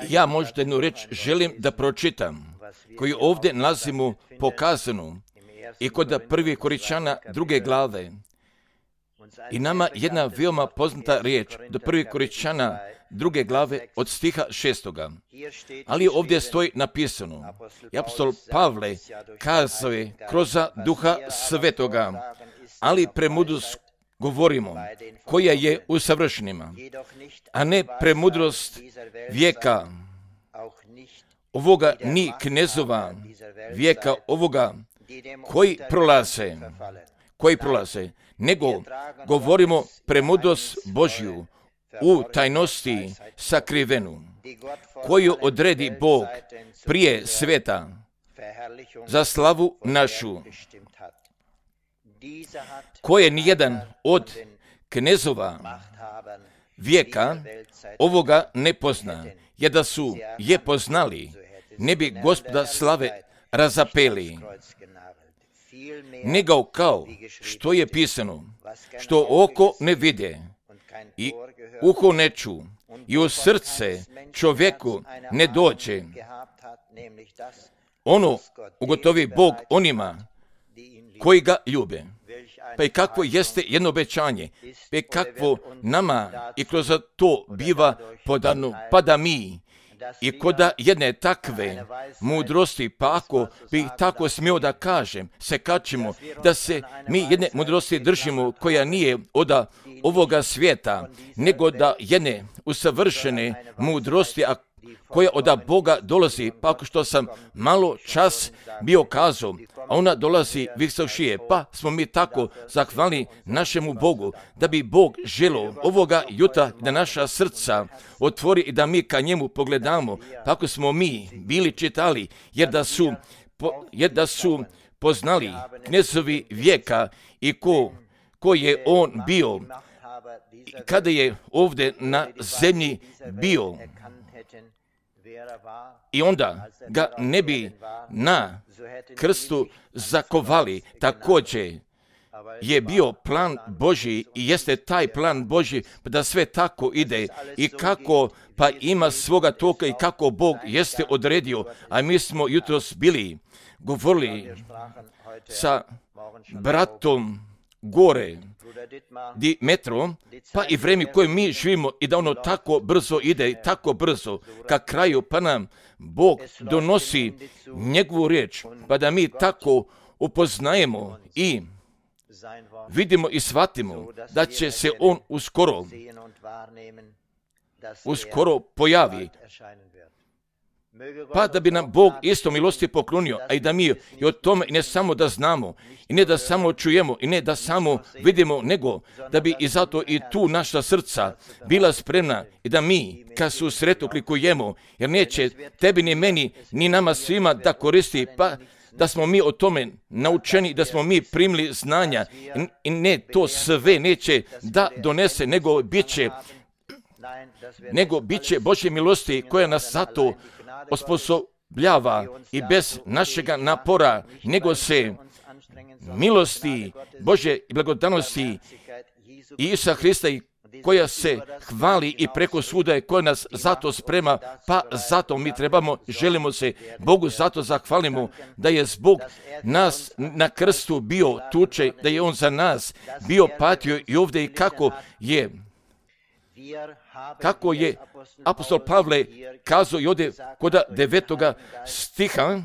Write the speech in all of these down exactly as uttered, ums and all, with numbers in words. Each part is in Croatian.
Ja možda jednu reč želim da pročitam, koju ovdje nalazimo pokazanu i kod prvi Korinčana druge glave. I nama jedna veoma poznata riječ, do prvi Korinčana druge glave od stiha šestoga. Ali ovdje stoji napisano, i apostol Pavle kazao je kroz duha svetoga, ali premudrost govorimo, koja je u savršenima, a ne premudrost vijeka ovoga, ni knezova vijeka ovoga, koji prolaze, koji prolaze, nego govorimo premudrost Božju u tajnosti sakrivenu, koju odredi Bog prije sveta za slavu našu, koje nijedan od knezova vijeka ovoga ne pozna, jer da su je poznali, ne bi Gospoda slave razapeli, nego kao što je pisano, što oko ne vide i uho ne ču i u srce čovjeku ne dođe, ono ugotovi Bog onima koji ga ljube. Pa i kakvo jeste jedno obećanje, pa i kakvo nama i kroz to biva podano, pa da mi i koda jedne takve mudrosti, pa ako bi tako smio da kažem, se kačimo, da se mi jedne mudrosti držimo koja nije od ovoga svijeta, nego da jedne usavršene mudrosti, a koja od Boga dolazi, pa ako što sam malo čas bio kazao, a ona dolazi visokšije, pa smo mi tako zahvalni našemu Bogu, da bi Bog želio ovoga jutra da naša srca otvori i da mi ka njemu pogledamo, pa ako smo mi bili čitali, jer da su, po, jer da su poznali knezovi vijeka i ko, ko je on bio, kada je ovdje na zemlji bio, i onda ga ne bi na krstu zakovali. Također je bio plan Božji i jeste taj plan Božji da sve tako ide i kako pa ima svoga toka i kako Bog jeste odredio. A mi smo jutros bili govorili sa bratom gore Dimetrom, pa i vreme koje mi živimo i da ono tako brzo ide i tako brzo ka kraju, pa nam Bog donosi njegovu riječ, pa da mi tako upoznajemo i vidimo i shvatimo da će se on uskoro uskoro pojavi. Pa da bi nam Bog isto milosti poklonio, a i da mi i o tome ne samo da znamo, i ne da samo čujemo, i ne da samo vidimo, nego da bi i zato i tu naša srca bila spremna i da mi, kad su sretu klikujemo, jer neće tebi ni meni, ni nama svima da koristi, pa da smo mi o tome naučeni, da smo mi primili znanja, i ne to sve neće da donese, nego bit će, nego bit će Božje milosti koja nas zato osposobljava i bez našega napora, nego se milosti Božje i blagodanosti Isusa Hrista i koja se hvali i preko svuda, koja nas zato sprema, pa zato mi trebamo, želimo se Bogu zato zahvalimo da je zbog nas na krstu bio tuče, da je on za nas bio patio i ovdje i kako je kako je apostol Pavle kazao i ovdje kod devetoga stiha,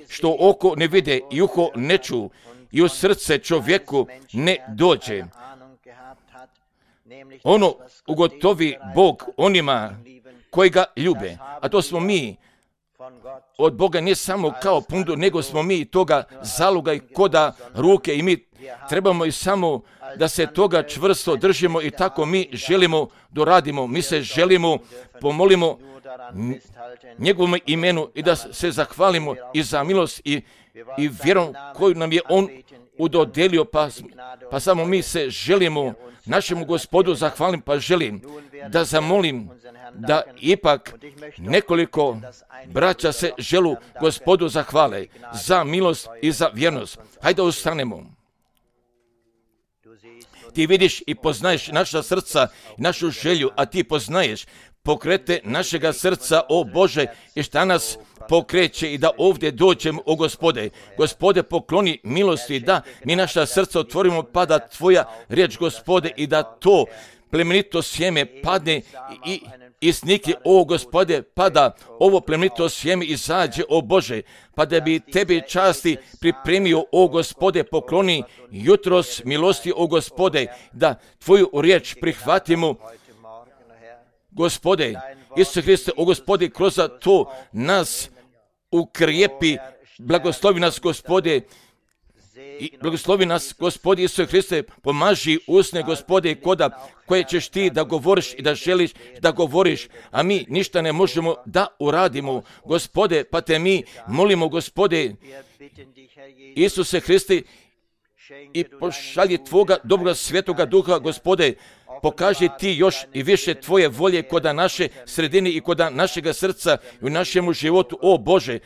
što oko ne vide i uho ne ču i u srce čovjeku ne dođe. Ono ugotovi Bog onima koji ga ljube, a to smo mi od Boga ne samo kao pundu, nego smo mi toga zaluga i koda ruke i mi trebamo i samo da se toga čvrsto držimo i tako mi želimo doradimo. Mi se želimo, pomolimo njegovom imenu i da se zahvalimo i za milost i, i vjerom koju nam je on udodelio, pa, pa samo mi se želimo našemu Gospodu zahvalim, pa želim da zamolim da ipak nekoliko braća se želu Gospodu zahvale za milost i za vjernost. Hajde ustanemo. Ti vidiš i poznaješ naša srca, našu želju, a ti poznaješ pokrete našega srca, o Bože, i šta nas pokreće i da ovdje dođemo, o Gospode. Gospode, pokloni milosti da mi naša srca otvorimo, pa da Tvoja riječ, Gospode, i da to plemenito sjeme padne i isnikne, o Gospode, pa da ovo plemenito sjeme izađe, o Bože, pa da bi Tebi časti pripremio, o Gospode, pokloni jutros milosti, o Gospode, da Tvoju riječ prihvatimo, Gospode. Isuse Hriste, o Gospode, kroz to nas ukrijepi, blagoslovi nas, Gospode, i blagoslovi nas, Gospode Isuse Hriste, pomaži usne, Gospode, koda koje ćeš Ti da govoriš i da želiš da govoriš, a mi ništa ne možemo da uradimo, Gospode, pa Te mi molimo, Gospode Isuse Hriste, i pošalji Tvoga dobroga svetoga duha, Gospode, pokaži Ti još i više Tvoje volje koda naše sredine i koda našega srca i u našemu životu, o Bože.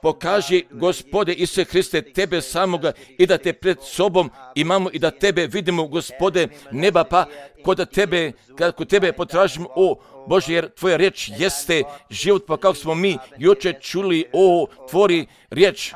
Pokaži, Gospode Isuse Hriste, Tebe samoga i da Te pred sobom imamo i da Tebe vidimo, Gospode neba, pa koda Tebe, kako Tebe potražimo, o Bože, jer Tvoja riječ jeste život, pa kako smo mi jučer čuli, o Tvori riječ,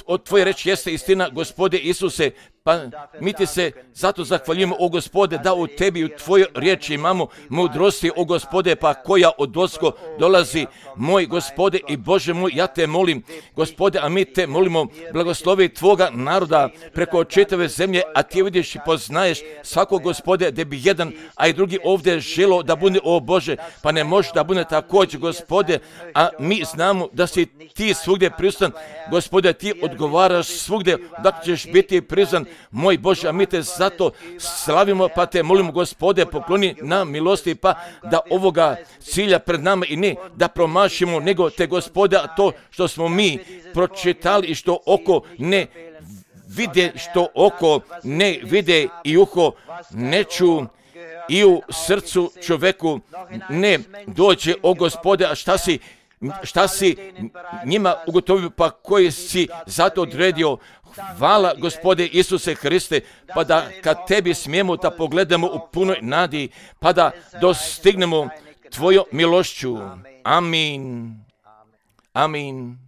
o Tvoja riječ jeste istina, Gospode Isuse, pa mi Ti se zato zahvaljujemo, o Gospode, da u Tebi i u Tvojoj riječi imamo mudrosti, o Gospode, pa koja od osko dolazi, moj Gospode i Bože moj, ja Te molim, Gospode, a mi Te molimo, blagoslovi Tvoga naroda preko čitave zemlje, a Ti vidiš i poznaješ svakog, Gospode, da bi jedan, a i drugi ovdje želo da bude, o Bože, pa ne može da bude također, Gospode, a mi znamo da si Ti svugdje prisutan, Gospode, Ti odgovaraš svugdje, da ćeš biti prisutan, moj Bože, a mi Te zato slavimo, pa Te molimo, Gospode, pokloni nam milosti, pa da ovoga cilja pred nama i ne da promašimo, nego Te, Gospode, a to što smo mi pročitali i što oko ne vide, što oko ne vide i uho ne ču i u srcu čoveku ne dođe, o Gospode, a šta si šta si njima ugotovio, pa koji si zato odredio. Hvala, Gospode Isuse Hriste, pa da kad Tebi smijemo da pogledamo u punoj nadi, pa da dostignemo Tvoju milošću. Amin. Amin.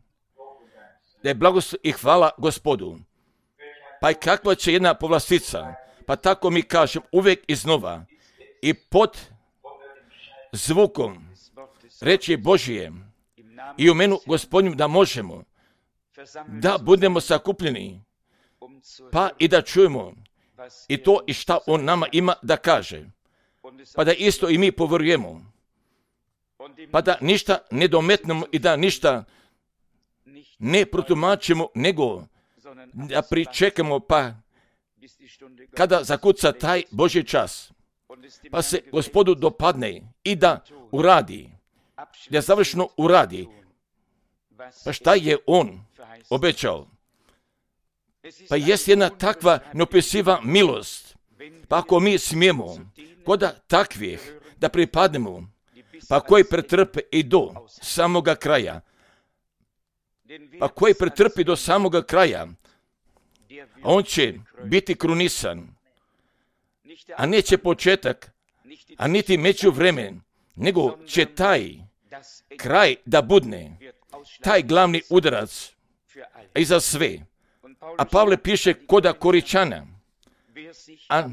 Da je blagoslov i hvala Gospodu. Pa i kakva će jedna povlastica, pa tako mi kažem uvijek iznova i pod zvukom reči Božije i u menu Gospodnju da možemo da budemo sakupljeni, pa i da čujemo i to i šta On nama ima da kaže, pa da isto i mi povjerujemo, pa da ništa ne dometnemo i da ništa ne protumačimo, nego da pričekamo, pa kada zakuca taj Božji čas, pa se Gospodu dopadne i da uradi, da završno uradi, pa šta je On obećao? Pa jest jedna takva neopisiva milost, pa ako mi smijemo koda takvih da pripadnemo, pa koji pretrpe i do samoga kraja, pa koji pretrpi do samoga kraja, on će biti krunisan, a neće početak, a niti međuvremen, nego će taj kraj da budne, taj glavni udarac i za sve. A Pavle piše koda Koričana, a,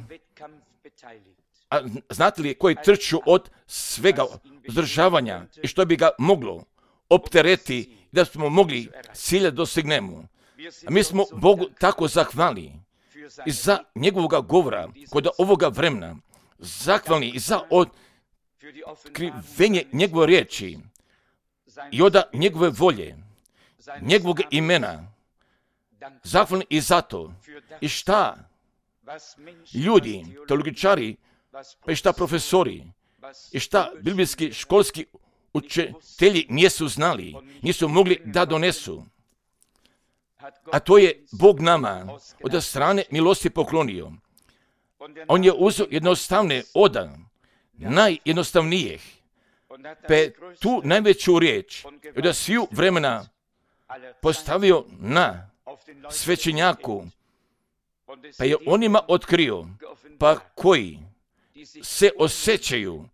a znate li koji trču od svega zdržavanja i što bi ga moglo optereti da smo mogli cilja dostignemo. A mi smo Bogu tako zahvalni i za njegovoga govora kod ovoga vremena, zahvalni i za otkrivenje njegove riječi i od njegove volje, njegovog imena, zahvalni i zato i šta ljudi, teologičari, pa i šta profesori, i šta biblijski školski učitelji nisu znali, nisu mogli da donesu. A to je Bog nama od strane milosti poklonio. On je uzeo jednostavne odan, najjednostavnijih, pe tu najveću riječ od sviju vremena postavio na svećenjaku, pa je onima otkrio, pa koji se osjećaju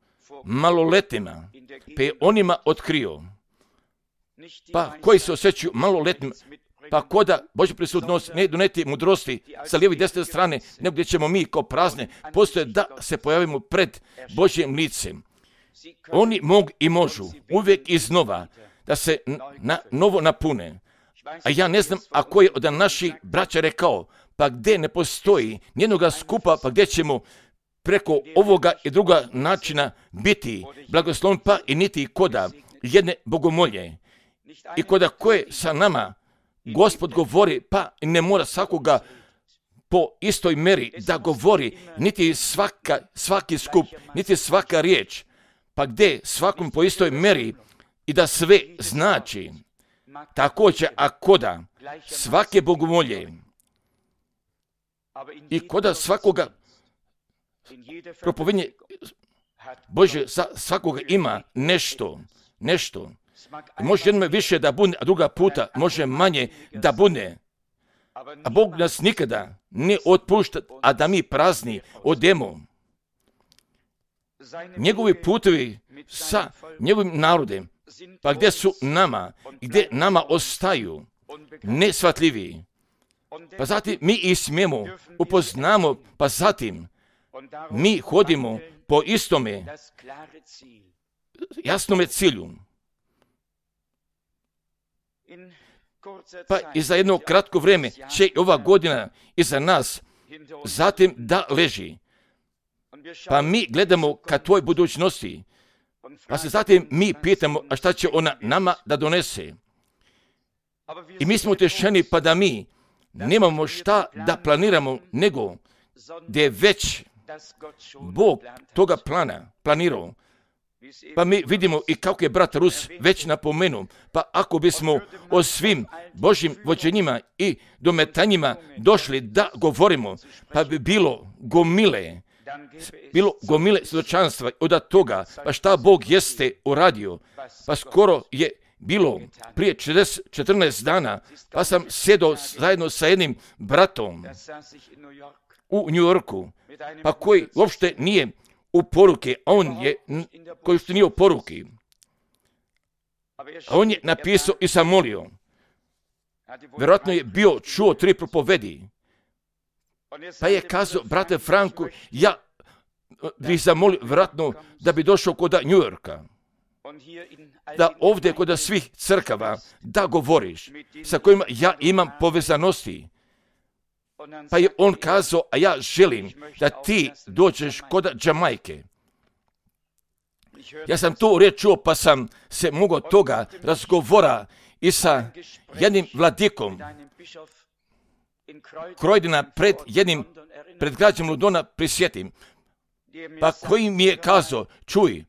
maloletnima, pa je onima otkrio. Pa koji se osjećaju maloletnim, pa koda Božja prisutnost ne doneti mudrosti sa lijeve i desne strane, nego gdje ćemo mi kao prazne postoje da se pojavimo pred Božjim licem. Oni mogu i možu uvijek iznova da se na novo napune. A ja ne znam ako je od naših braća rekao, pa gdje ne postoji nijednoga skupa, pa gdje ćemo preko ovoga i druga načina biti blagoslovni, pa i niti koda jedne bogomolje. I koda koje sa nama Gospod govori, pa ne mora svakoga po istoj meri da govori, niti svaka, svaki skup, niti svaka riječ, pa gdje svakom po istoj meri i da sve znači. Također, a koda svake bogomolje i koda svakoga propovednje Bože za svakoga ima nešto, nešto. Može jednom više da bude, a druga puta može manje da bude. A Bog nas nikada ne otpušta, a da mi prazni odemo. Njegovi putovi sa njegovim narodem, pa gdje su nama, gdje nama ostaju nesvatljivi. Pa zatim mi i smijemo, upoznamo, pa zatim mi hodimo po istome jasnome cilju. Pa i za jedno kratko vrijeme će ova godina iza nas zatim da leži. Pa mi gledamo ka tvoj budućnosti. Pa se zatim mi pitamo, a šta će ona nama da donese. I mi smo utješeni pa da mi nemamo šta da planiramo, nego gdje je već Bog toga plana planirao. Pa mi vidimo i kako je brat Rus već napomenuo, pa ako bismo o svim Božjim vođenjima i dometanjima došli da govorimo, pa bi bilo gomile, bilo gomile svjedočanstva od toga, pa šta Bog jeste uradio. Pa skoro je bilo prije četrnaest dana, pa sam sjedao zajedno sa jednim bratom u New Yorku, pa koji uopšte nije u poruke, a on je, koji što nije u poruki, a on je napisao i sam molio. Vjerojatno je bio čuo tri propovedi, pa je kazao, brate Franku, ja bih zamolio vjerojatno da bi došao kod New Yorka, da ovdje kod svih crkava da govoriš, sa kojima ja imam povezanosti. Pa je on kazao, a ja želim da ti dođeš kod Jamajke. Ja sam to riječ čuo, pa sam se mogao toga razgovora i sa jednim vladikom Croydona pred jednim, pred građem Londona prisjetim. Pa koji mi je kazao, čuj,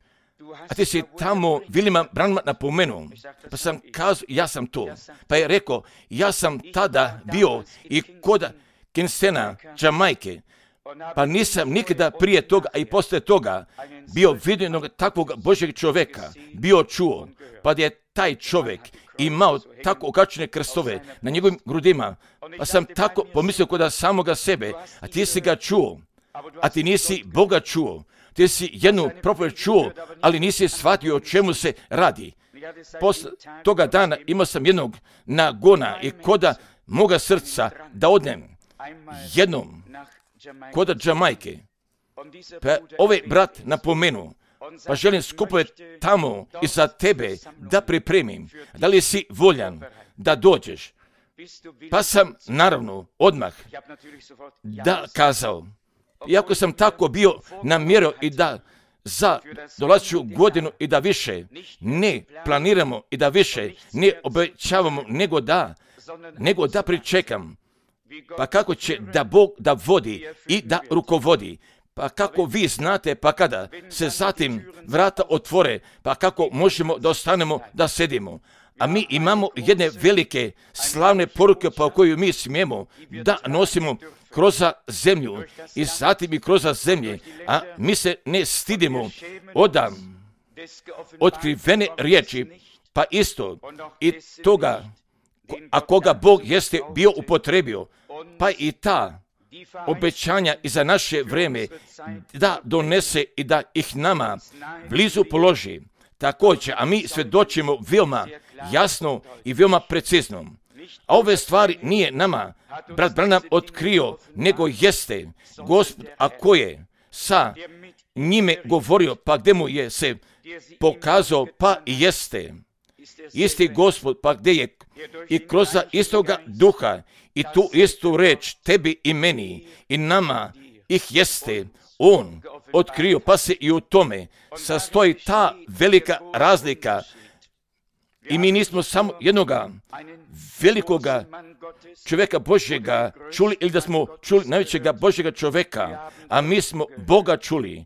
a ti si tamo Williama Branhama napomenuo. Pa sam kazao, ja sam to. Pa je rekao, ja sam tada bio i kod Kingstona, Jamajke, pa nisam nikada prije toga, a i poslije toga, bio vidio jednog takvog Božjeg čovjeka, bio čuo, pa da je taj čovjek imao tako okačene krstove na njegovim grudima, pa sam tako pomislio kod samoga sebe, a ti si ga čuo, a ti nisi Boga čuo, ti si jednu propovijed čuo, ali nisi shvatio o čemu se radi. Posle toga dana imao sam jednog nagona i koda moga srca da odnem jednom kod Jamajke. Pa ovaj brat napomenuo, pa želim skupove tamo i za tebe da pripremim. Da li si voljan da dođeš? Pa sam naravno odmah da kazao. Iako sam tako bio namjerio i da za dolazeću godinu i da više ne planiramo i da više ne obećavamo, nego da, nego da pričekam. Pa kako će da Bog da vodi i da rukovodi. Pa kako vi znate, pa kada se zatim vrata otvore, pa kako možemo da ostanemo da sedimo. A mi imamo jedne velike slavne poruke po koju mi smijemo da nosimo kroz zemlju i zatim i kroz zemlje, a mi se ne stidimo od otkrivene riječi, pa isto i toga, a koga Bog jeste bio upotrebio, pa i ta obećanja i za naše vrijeme da donese i da ih nama blizu položi. Također, a mi svjedočimo veoma jasno i veoma precizno. A ove stvari nije nama brat Branham otkrio, nego jeste Gospod, a ko je sa njime govorio, pa gdje mu je se pokazao, pa i jeste. Isti Gospod, pa gdje je i kroz istoga duha i tu istu reč tebi i meni i nama ih jeste on otkrio, pa se i u tome sastoji ta velika razlika. I mi nismo samo jednoga velikoga čovjeka Božjega čuli, ili da smo čuli najvećega Božjega čovjeka, a mi smo Boga čuli,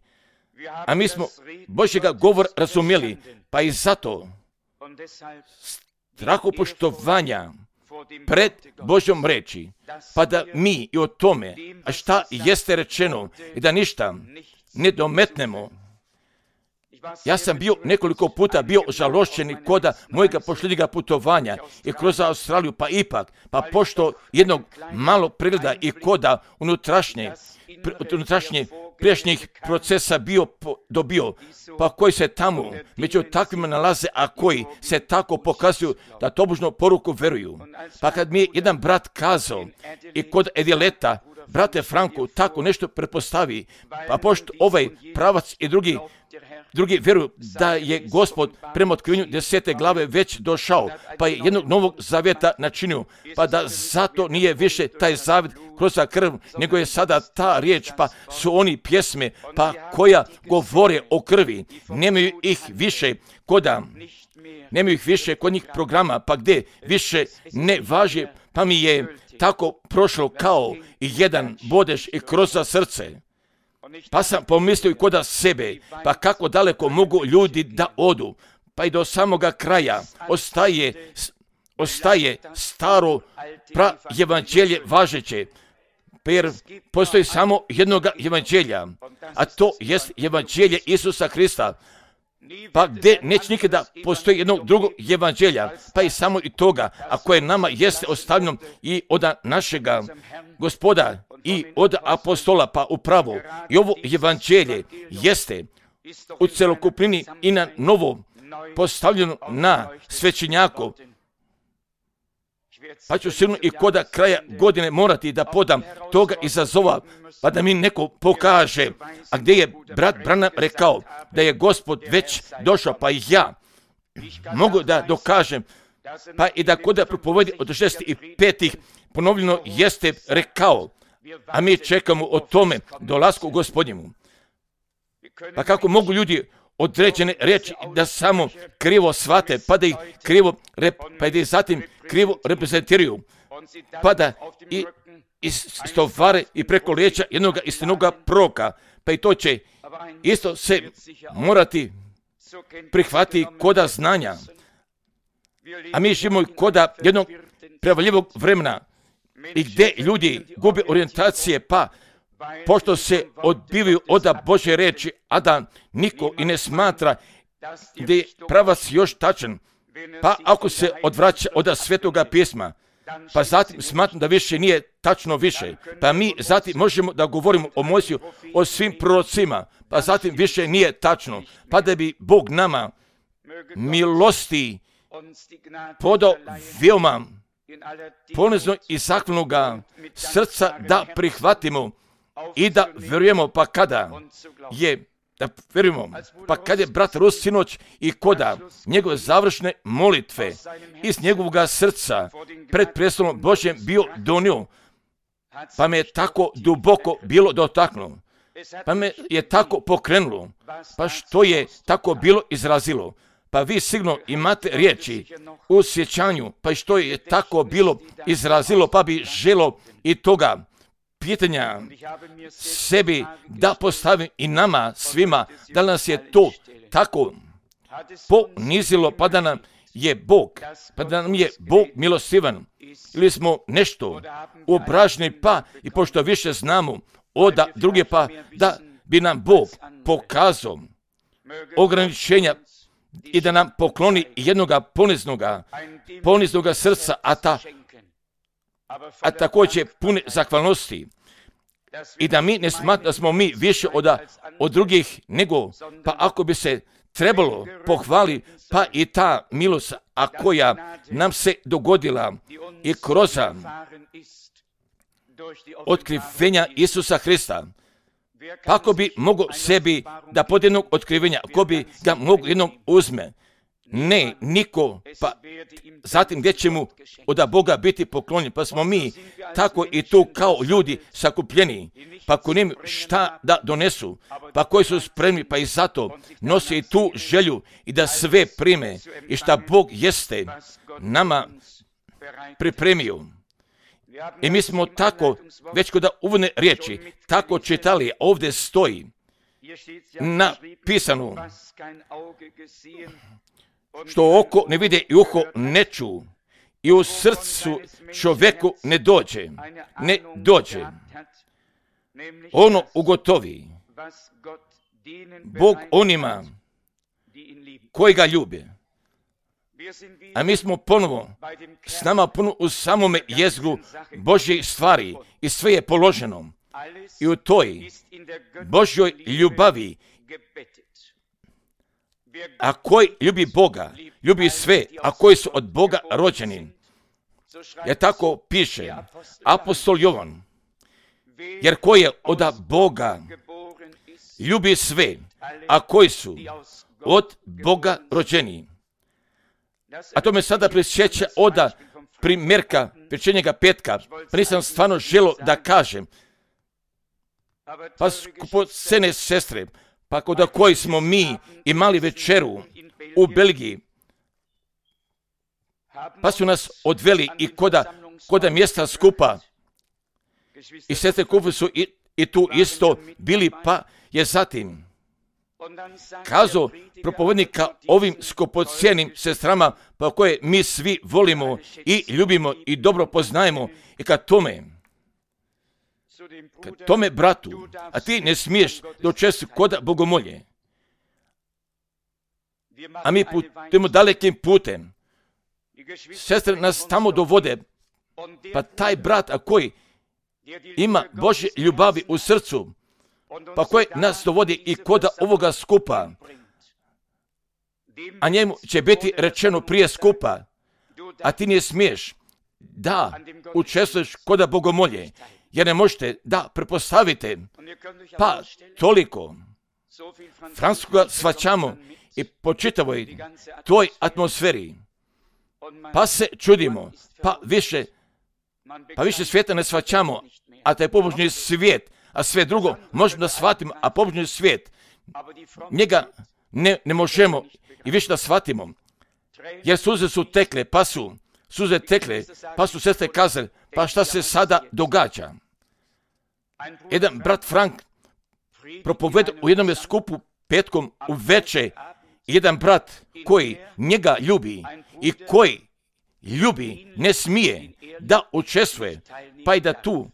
a mi smo Božjega govor razumjeli, pa i zato strahopoštovanja pred Božjom reči, pa da mi i o tome, a šta jeste rečeno, i da ništa ne dometnemo. Ja sam bio nekoliko puta bio žalošćen koda mojega posljednjega putovanja i kroz Australiju, pa ipak, pa pošto jednog malo pregleda i koda unutrašnje, unutrašnje prijašnjih procesa bio po, dobio, pa koji se tamo među takvima nalaze, a koji se tako pokazuju da tobožno poruku veruju. Pa kad mi je jedan brat kazao i kod Edileta, brate Franku, tako nešto prepostavi, pa pošto ovaj pravac i drugi Drugi vjeruju da je Gospod prema otkrivenju desete glave već došao, pa je jednog novog zavjeta načinio, pa da zato nije više taj zavjet kroz krv, nego je sada ta riječ, pa su oni pjesme, pa koja govore o krvi, nemaju ih više koda, nemaju ih više kod njih programa, pa gdje više ne važi, pa mi je tako prošlo kao i jedan bodež i kroz srce. Pa sam pomislio i koda sebe, pa kako daleko mogu ljudi da odu, pa i do samoga kraja ostaje, ostaje staro pra evanđelje važeće, jer postoji samo jednoga evanđelja, a to jest evanđelje Isusa Krista, pa gdje neće nikada postoji jednog drugog evanđelja, pa i samo i toga, a koje nama jeste ostavljeno i od našega Gospoda i od apostola, pa upravo i ovo evanđelje jeste u celokupnini i na novo postavljeno na svećenjaku. Pa ću sigurno i koda kraja godine morati da podam toga izazova, pa da mi neko pokaže, a gdje je brat Branham rekao da je Gospod već došao, pa i ja mogu da dokažem, pa i da koda propovedi od šezdeset petih ponovljeno jeste rekao, a mi čekamo o tome dolasku Gospodnjemu. Pa kako mogu ljudi određene reći da samo krivo shvate, pa da ih krivo, rep, pa da ih zatim krivo reprezentiraju, pa da i istovare i preko lijeća jednog istinoga proroka, pa i to će isto se morati prihvatiti koda znanja. A mi živimo koda jednog prevaljivog vremena i gdje ljudi gube orijentacije, pa pošto se odbivaju od Božje reči, a da niko i ne smatra da je pravac još tačan, pa ako se odvraća od Svetoga pisma, pa zatim smatram da više nije tačno više, pa mi zatim možemo da govorimo o Mojsiju, o svim prorocima, pa zatim više nije tačno, pa da bi Bog nama milosti podao veoma ponizno i zahvalnoga srca da prihvatimo i da vjerujemo, pa kada je, da vjerujemo, pa kada je brat Rus sinoć i koda njegove završne molitve iz njegovog srca pred prestolom Božjem bio donio, pa me je tako duboko bilo dotaknulo, pa me je tako pokrenulo, pa što je tako bilo izrazilo. Pa vi sigurno imate riječi u sjećanju, pa i što je tako bilo izrazilo, pa bi želo i toga pitanja sebi da postavim i nama svima, da nas je to tako ponizilo, pa da nam je Bog, pa da nam je Bog milostivan, ili smo nešto obraženi, pa i pošto više znamo od druge, pa da bi nam Bog pokazao ograničenja i da nam pokloni jednoga poniznoga, poniznoga srca, a, ta, a također pune zahvalnosti. i da mi ne smatramo da smo mi više od, od drugih nego, pa ako bi se trebalo pohvali, pa i ta milost, a koja nam se dogodila i kroz otkrivenja Isusa Hrista. Pa ako bi mogao sebi da pod jednog otkrivenja, ako bi ga mogao jednog uzme, ne, niko, pa zatim gdje će mu od Boga biti poklonjen, pa smo mi tako i tu kao ljudi sakupljeni, pa ako nemaju šta da donesu, pa koji su spremni, pa i zato nose i tu želju i da sve prime i šta Bog jeste nama pripremio. I mi smo tako, već kod uvodne riječi, tako čitali, ovdje stoji napisano, što oko ne vide i uho ne ču, i u srcu čovjeku ne dođe, ne dođe. Ono ugotovi Bog onima koji ga ljube. A mi smo ponovo s nama puno u samome jezgru Božje stvari i sve je položeno. I u toj Božjoj ljubavi, a koji ljubi Boga, ljubi sve, a koji su od Boga rođeni. Jer tako piše apostol Jovan, jer koji je od Boga ljubi sve, a koji su od Boga rođeni. A to me sada prisjeća od primjerka pečenjega petka, pa nisam stvarno želo da kažem. Pa skupocene sestre, pa kod koji smo mi imali večeru u Belgiji, pa su nas odveli i koda, koda mjesta skupa. I sestre kupe su i, i tu isto bili, pa je zatim kazao propovednika ovim skupocijenim sestrama, pa koje mi svi volimo i ljubimo i dobro poznajemo, i kad tome, kad tome bratu, a ti ne smiješ doći kod bogomolje, a mi putujemo dalekim putem, sestre nas tamo dovode, pa taj brat, a koji ima Božje ljubavi u srcu, pa koji nas dovodi i kod ovoga skupa, a njemu će biti rečeno prije skupa, a ti ne smiješ da učestvuješ kod bogomolje, jer ne možete da prepostavite, pa toliko francuskoga shvaćamo i po čitavoj toj atmosferi, pa se čudimo, pa više, pa više svijeta ne shvaćamo, a taj pobožni svijet, a sve drugo možemo da shvatimo, a pobožni svijet, njega ne, ne možemo i više da shvatimo, jer suze su tekle, pa su suze tekle, pa su sestre kazali, pa šta se sada događa? Jedan brat Frank propoveda u jednom skupu petkom u veče, jedan brat koji njega ljubi i koji ljubi ne smije da učestvuje, pa i da tu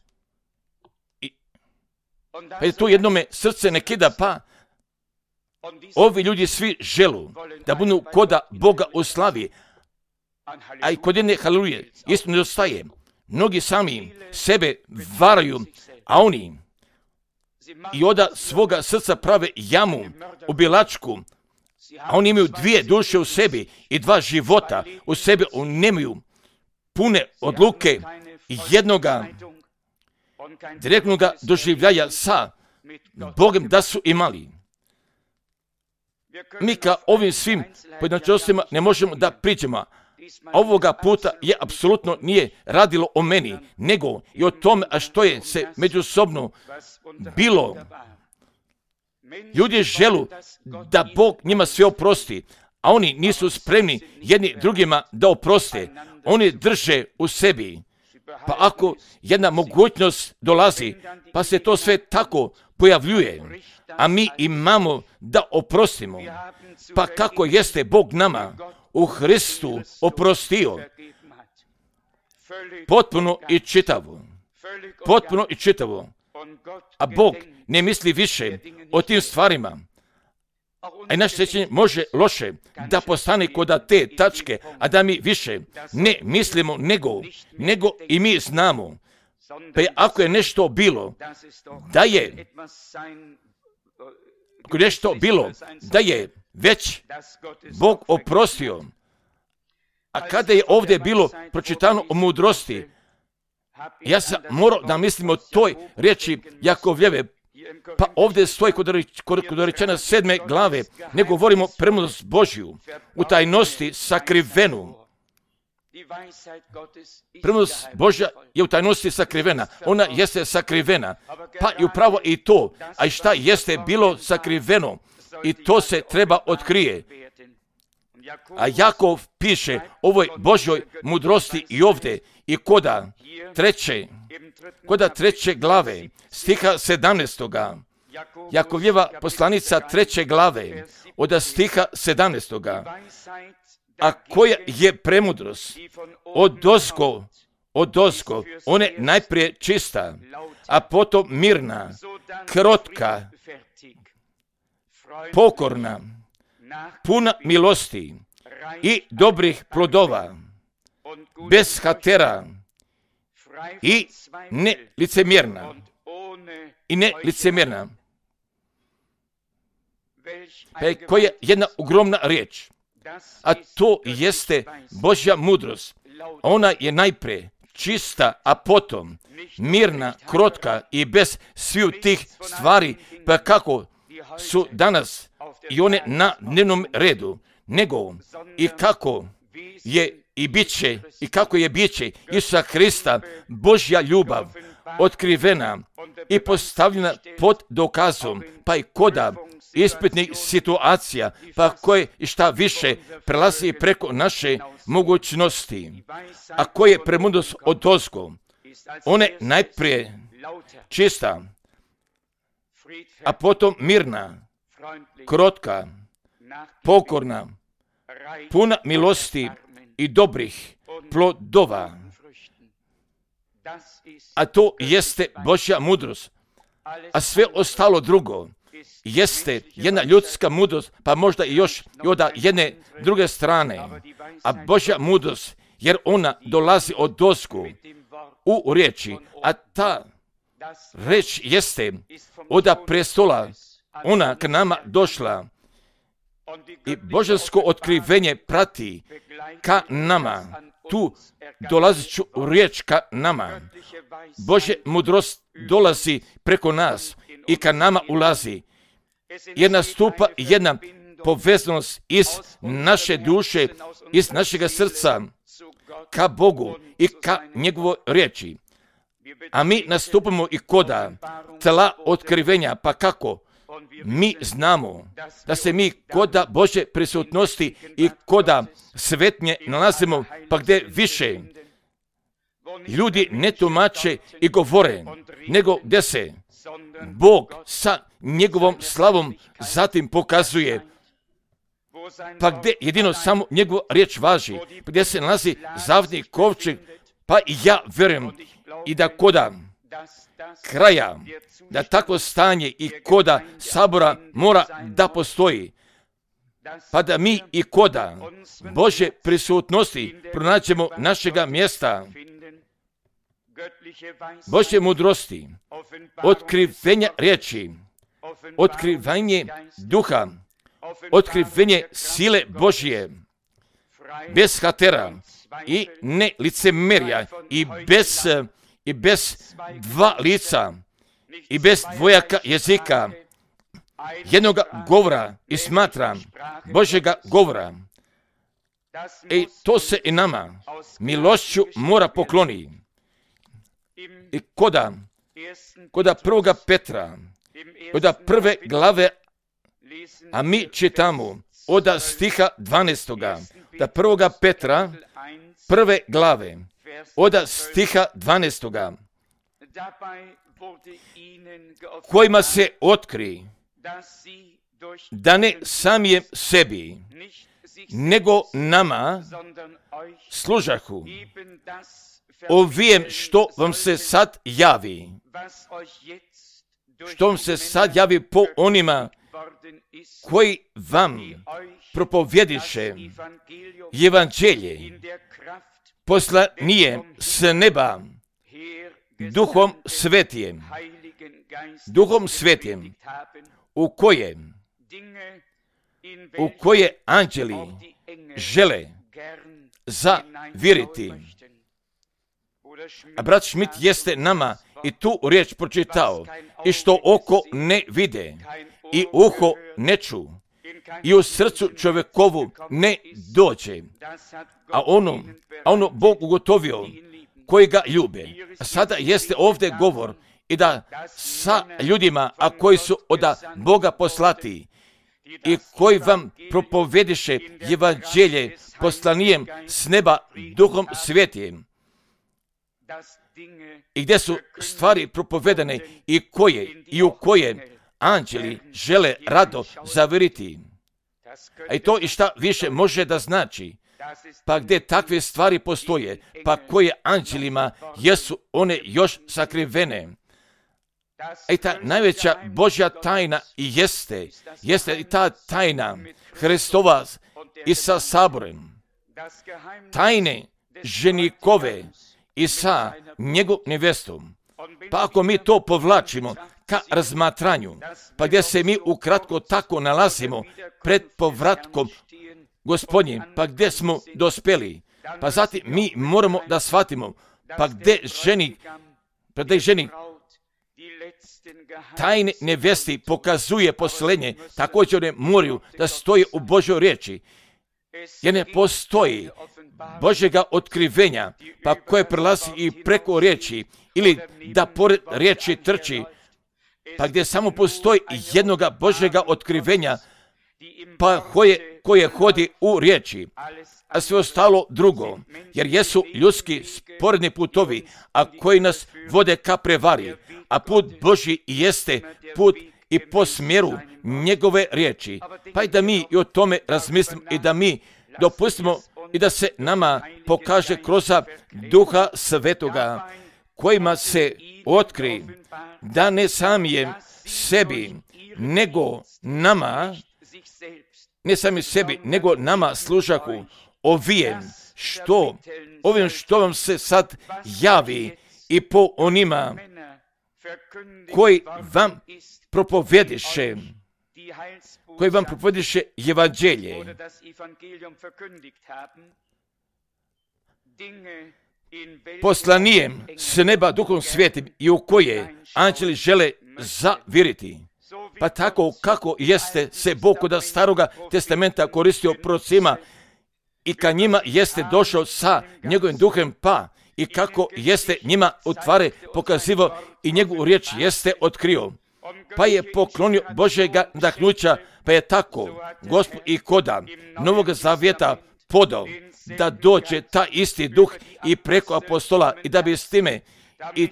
pa i tu jednome srce ne kida, pa ovi ljudi svi želu da budu koda Boga u slavi, a i kod jedne haleluje isto nedostaje. Mnogi sami sebe varaju, a oni i oda svoga srca prave jamu, obilačku, a oni imaju dvije duše u sebi i dva života u sebi, oni nemaju pune odluke i jednoga direktnoga doživljaja sa Bogom da su imali. Mi ka ovim svim pojedinačnostima ne možemo da priđemo. Ovoga puta je apsolutno nije radilo o meni, nego i o tome, a što je se međusobno bilo. Ljudi želu da Bog njima sve oprosti, a oni nisu spremni jedni drugima da oproste. Oni drže u sebi. Pa ako jedna mogućnost dolazi, pa se to sve tako pojavljuje, a mi imamo da oprostimo, pa kako jeste Bog nama u Hristu oprostio, potpuno i čitavo, potpuno i čitavo, a Bog ne misli više o tim stvarima, a i naše sjećanje može loše da postane kod te tačke, a da mi više ne mislimo nego, nego i mi znamo, Pa ako je nešto bilo, da je ako je nešto bilo, da je već Bog oprostio. A kada je ovdje bilo pročitano o mudrosti, ja sam morao da mislim o toj riječi Jakovljeve. Pa ovdje stoji kod rečena sedme glave, ne govorimo premudrost Božju, u tajnosti sakrivenu. Premudrost Božja je u tajnosti sakrivena, ona jeste sakrivena, pa i upravo i to, a i šta jeste bilo sakriveno, i to se treba otkrije. A Jakov piše ovoj Božjoj mudrosti i ovdje, i koda treće, koda treće glave, stiha sedamnaestoga. Jakovljeva poslanica treće glave, od stiha sedamnaestoga. A koja je premudrost? Od ozgo, od ozgo, ona je najprije čista, a potom mirna, krotka, pokorna, puna milosti i dobrih plodova, bez hatera i ne licemjerna. I ne licemjerna. Pa koja je jedna ogromna riječ, a to jeste Božja mudrost. Ona je najprije čista, a potom mirna, krotka i bez svih tih stvari, pa kako su danas i one na dnevnom redu, nego i kako je i bit će, i kako je bit će Isusa Hrista, Božja ljubav, otkrivena i postavljena pod dokazom, pa i koda ispitnih situacija, pa koje i šta više prelazi preko naše mogućnosti, a koje je premudrost od ozgo. Ona je najprije čista, a potom mirna, krotka, pokorna, puna milosti i dobrih plodova. A to jeste Božja mudrost. A sve ostalo drugo jeste jedna ljudska mudrost, pa možda i još i od jedne druge strane. A Božja mudrost, jer ona dolazi od ozgo u riječi, a ta reč jeste od prestola, ona k nama došla i božansko otkrivenje prati ka nama, tu dolaziću riječ ka nama. Božja mudrost dolazi preko nas i ka nama ulazi. Jer nastupa jedna povezanost iz naše duše, iz našega srca ka Bogu i ka njegovoj riječi. A mi nastupamo i koda tla otkrivenja, pa kako? Mi znamo da se mi koda Božje prisutnosti i koda svetnje nalazimo, pa gdje više ljudi ne tumače i govore, nego gdje se Bog sa njegovom slavom zatim pokazuje, pa gdje jedino samo njegova riječ važi, pa gdje se nalazi zavidni kovčeg, pa i ja vjerujem i da koda kraja, da takvo stanje i koda sabora mora da postoji, pa da mi i koda Božje prisutnosti pronađemo našega mjesta, Božje mudrosti, otkrivenja riječi, otkrivanje duha, otkrivenje sile Božje, bez hatera i ne licemerja i bez, i bez dva lica i bez dvojaka jezika, jednoga govora i smatram Božjega govora. I to se i nama milošću mora pokloni. I koda, koda prvoga Petra, koda prve glave, a mi čitamo od stiha dvanaestoga, da prvoga Petra, prve glave, od stiha dvanaestoga, kojima se otkri da ne samijem sebi, nego nama služahu ovijem što vam se sad javi, što vam se sad javi po onima koji vam propovjediše evanđelje poslanije s neba Duhom Svetijem, Duhom Svetijem, u kojem, u koje anđeli žele zavjeriti. A brat Schmidt jeste nama i tu riječ pročitao, i što oko ne vide, i uho ne ču, i u srcu čovjekovu ne dođe, a ono, a ono Bog ugotovio koji ga ljube. A sada jeste ovdje govor i da sa ljudima, a koji su od Boga poslati i koji vam propovediše evanđelje poslanijem s neba Duhom Svetijem, i gdje su stvari propovedane i koje i u koje anđeli žele rado zavjeriti. A i to i šta više može da znači, pa gdje takve stvari postoje, pa koje anđelima jesu one još sakrivene. A i ta najveća Božja tajna i jeste, jeste i ta tajna Hristova i sa saborem, tajne ženikove i sa njegovom nevestom. Pa ako mi to povlačimo ka razmatranju, pa gdje se mi ukratko tako nalazimo pred povratkom Gospodnjim, pa gdje smo dospeli, pa zatim mi moramo da shvatimo, pa gdje ženik, pa gdje ženik tajne nevesti pokazuje poslenje, također one moraju da stoje u Božoj riječi, jer ne postoji Božjega otkrivenja, pa koje prelazi i preko riječi, ili da pored riječi trči, pa gdje samo postoji jednoga Božjega otkrivenja, pa koje, koje hodi u riječi, a sve ostalo drugo, jer jesu ljudski sporedni putovi, a koji nas vode ka prevari, a put Božji jeste put i po smjeru njegove riječi. Pa i da mi i o tome razmislimo i da mi dopustimo i da se nama pokaže kroz Duha Svetoga, kojima se otkri da ne samijem sebi, nego nama, ne sami sebi, nego nama služaku ovijem, što, ovim što vam se sad javi i po onima koji vam propovediše, koji vam propovediše evanđelje, poslanijem s neba Duhom Svetim i u koje anđeli žele zavjeriti. Pa tako kako jeste se Bog kod staroga testamenta koristio prorocima i ka njima jeste došao sa njegovim duhem, pa i kako jeste njima utvare pokazivo i njegovu riječ jeste otkrio, pa je poklonio Božjega nadahnuća, pa je tako Gospod i koda Novog Zavjeta podao da dođe ta isti duh i preko apostola i da bi s time i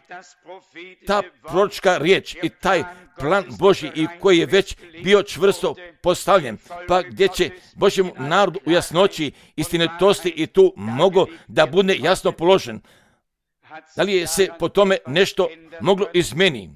ta proročka riječ i taj plan Božji i koji je već bio čvrsto postavljen, pa gdje će Božjemu narodu u jasnoći istinitosti i tu mogo da bude jasno položen. Da li je se po tome nešto moglo izmeniti?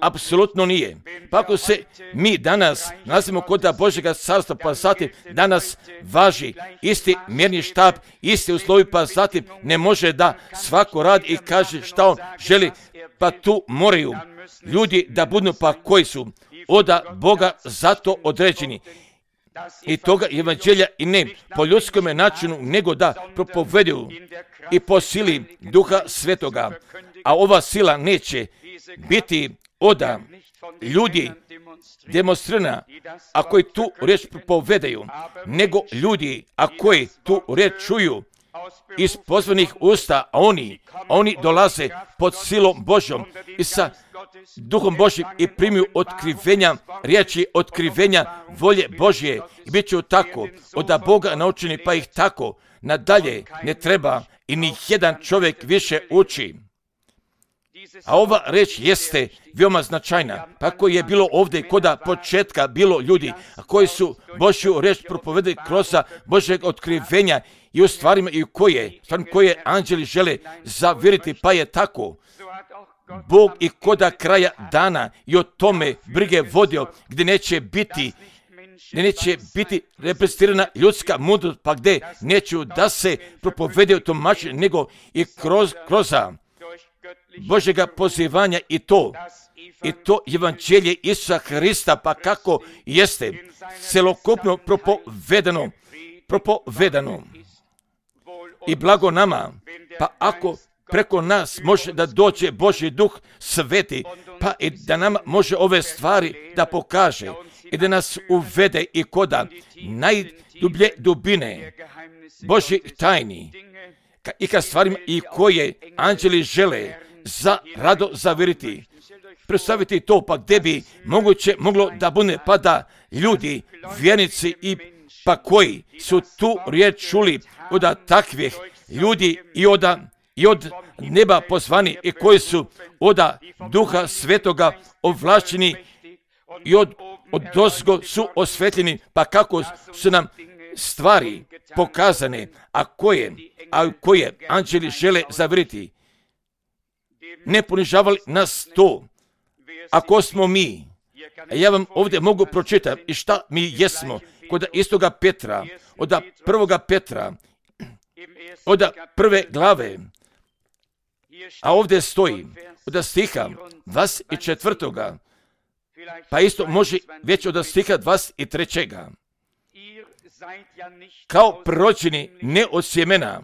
Apsolutno nije. Pa ako se mi danas nalazimo kod Božjega carstva, pa zatim danas važi isti mjerni štab, isti uslovi, pa zatim ne može da svako radi i kaže šta on želi, pa tu moraju ljudi da budu pa koji su od Boga zato određeni. I toga evanđelja i ne po ljudskom načinu, nego da propoveduju i po sili Duha Svetoga. A ova sila neće biti od ljudi demonstrirana, a koji tu riječ propovedaju, nego ljudi, a koji tu riječ čuju iz pozvanih usta, a oni, a oni dolaze pod silom Božjom i sa Duhom Božjim i primiju otkrivenja, riječi otkrivenja volje Božje i bit će tako od Boga naučeni, pa ih tako nadalje ne treba i ni jedan čovjek više uči. A ova reč jeste veoma značajna, pa koji je bilo ovdje kod početka bilo ljudi, a koji su Božju reč propovedali kroz Božjeg otkrivenja i u stvarima i u koje, stvarima koje anđeli žele zavjeriti, pa je tako Bog i koda kraja dana i o tome brige vodio, gdje neće biti gdje neće biti reprezentirana ljudska mudrost, pa gdje neću da se propovede u tumačenju, nego i kroz kroza Božjega pozivanja i to, i to evanđelje Isusa Hrista, pa kako jeste celokupno propovedano, propovedano. I blago nama, pa ako preko nas može da dođe Božji duh sveti, pa i da nama može ove stvari da pokaže i da nas uvede i koda najdublje dubine Božjih tajni i ka stvarima i koje anđeli žele za rado zaviriti. Predstaviti to, pa gdje bi moguće moglo da bude, pa da ljudi, vjernici i pa koji su tu riječ čuli od takvih ljudi i od, i od neba pozvani i koji su od Duha Svetoga ovlašćeni i od, od dozgo su osvetljeni, pa kako su nam stvari pokazane, a koje, a koje anđeli žele zavriti. Ne ponižavali nas to, ako smo mi. A ja vam ovdje mogu pročitati i šta mi jesmo kod istoga Petra, od prvoga Petra, od prve glave, a ovdje stoji od stiha dvadeset četvrtoga, pa isto može već od stiha dvadeset trećega. Kao proročeni ne od sjemena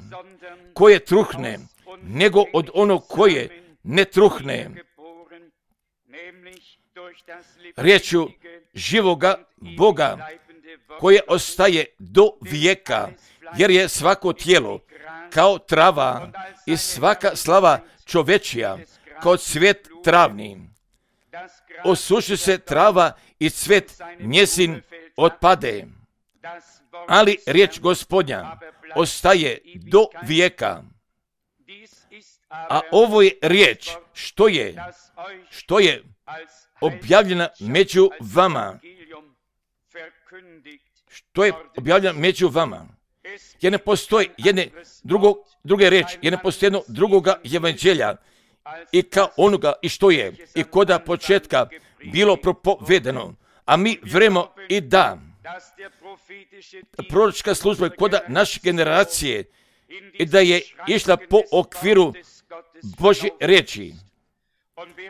koje truhne, nego od onog koje ne truhne, riječju živoga Boga koje ostaje do vijeka, jer je svako tijelo kao trava i svaka slava čovečija kao cvijet travni. Osuši se trava i cvijet njezin otpade, ali riječ Gospodnja ostaje do vijeka. A ovo je riječ što je, što je objavljena među vama. Što je objavljena među vama. Jer ne postoji jedne drugo, druge riječi, jer ne postoji jedno drugoga evanđelja i kao onoga i što je i koda početka bilo propovedeno. A mi vremo i da proročka služba koda naše generacije i da je išla po okviru Božje riječi.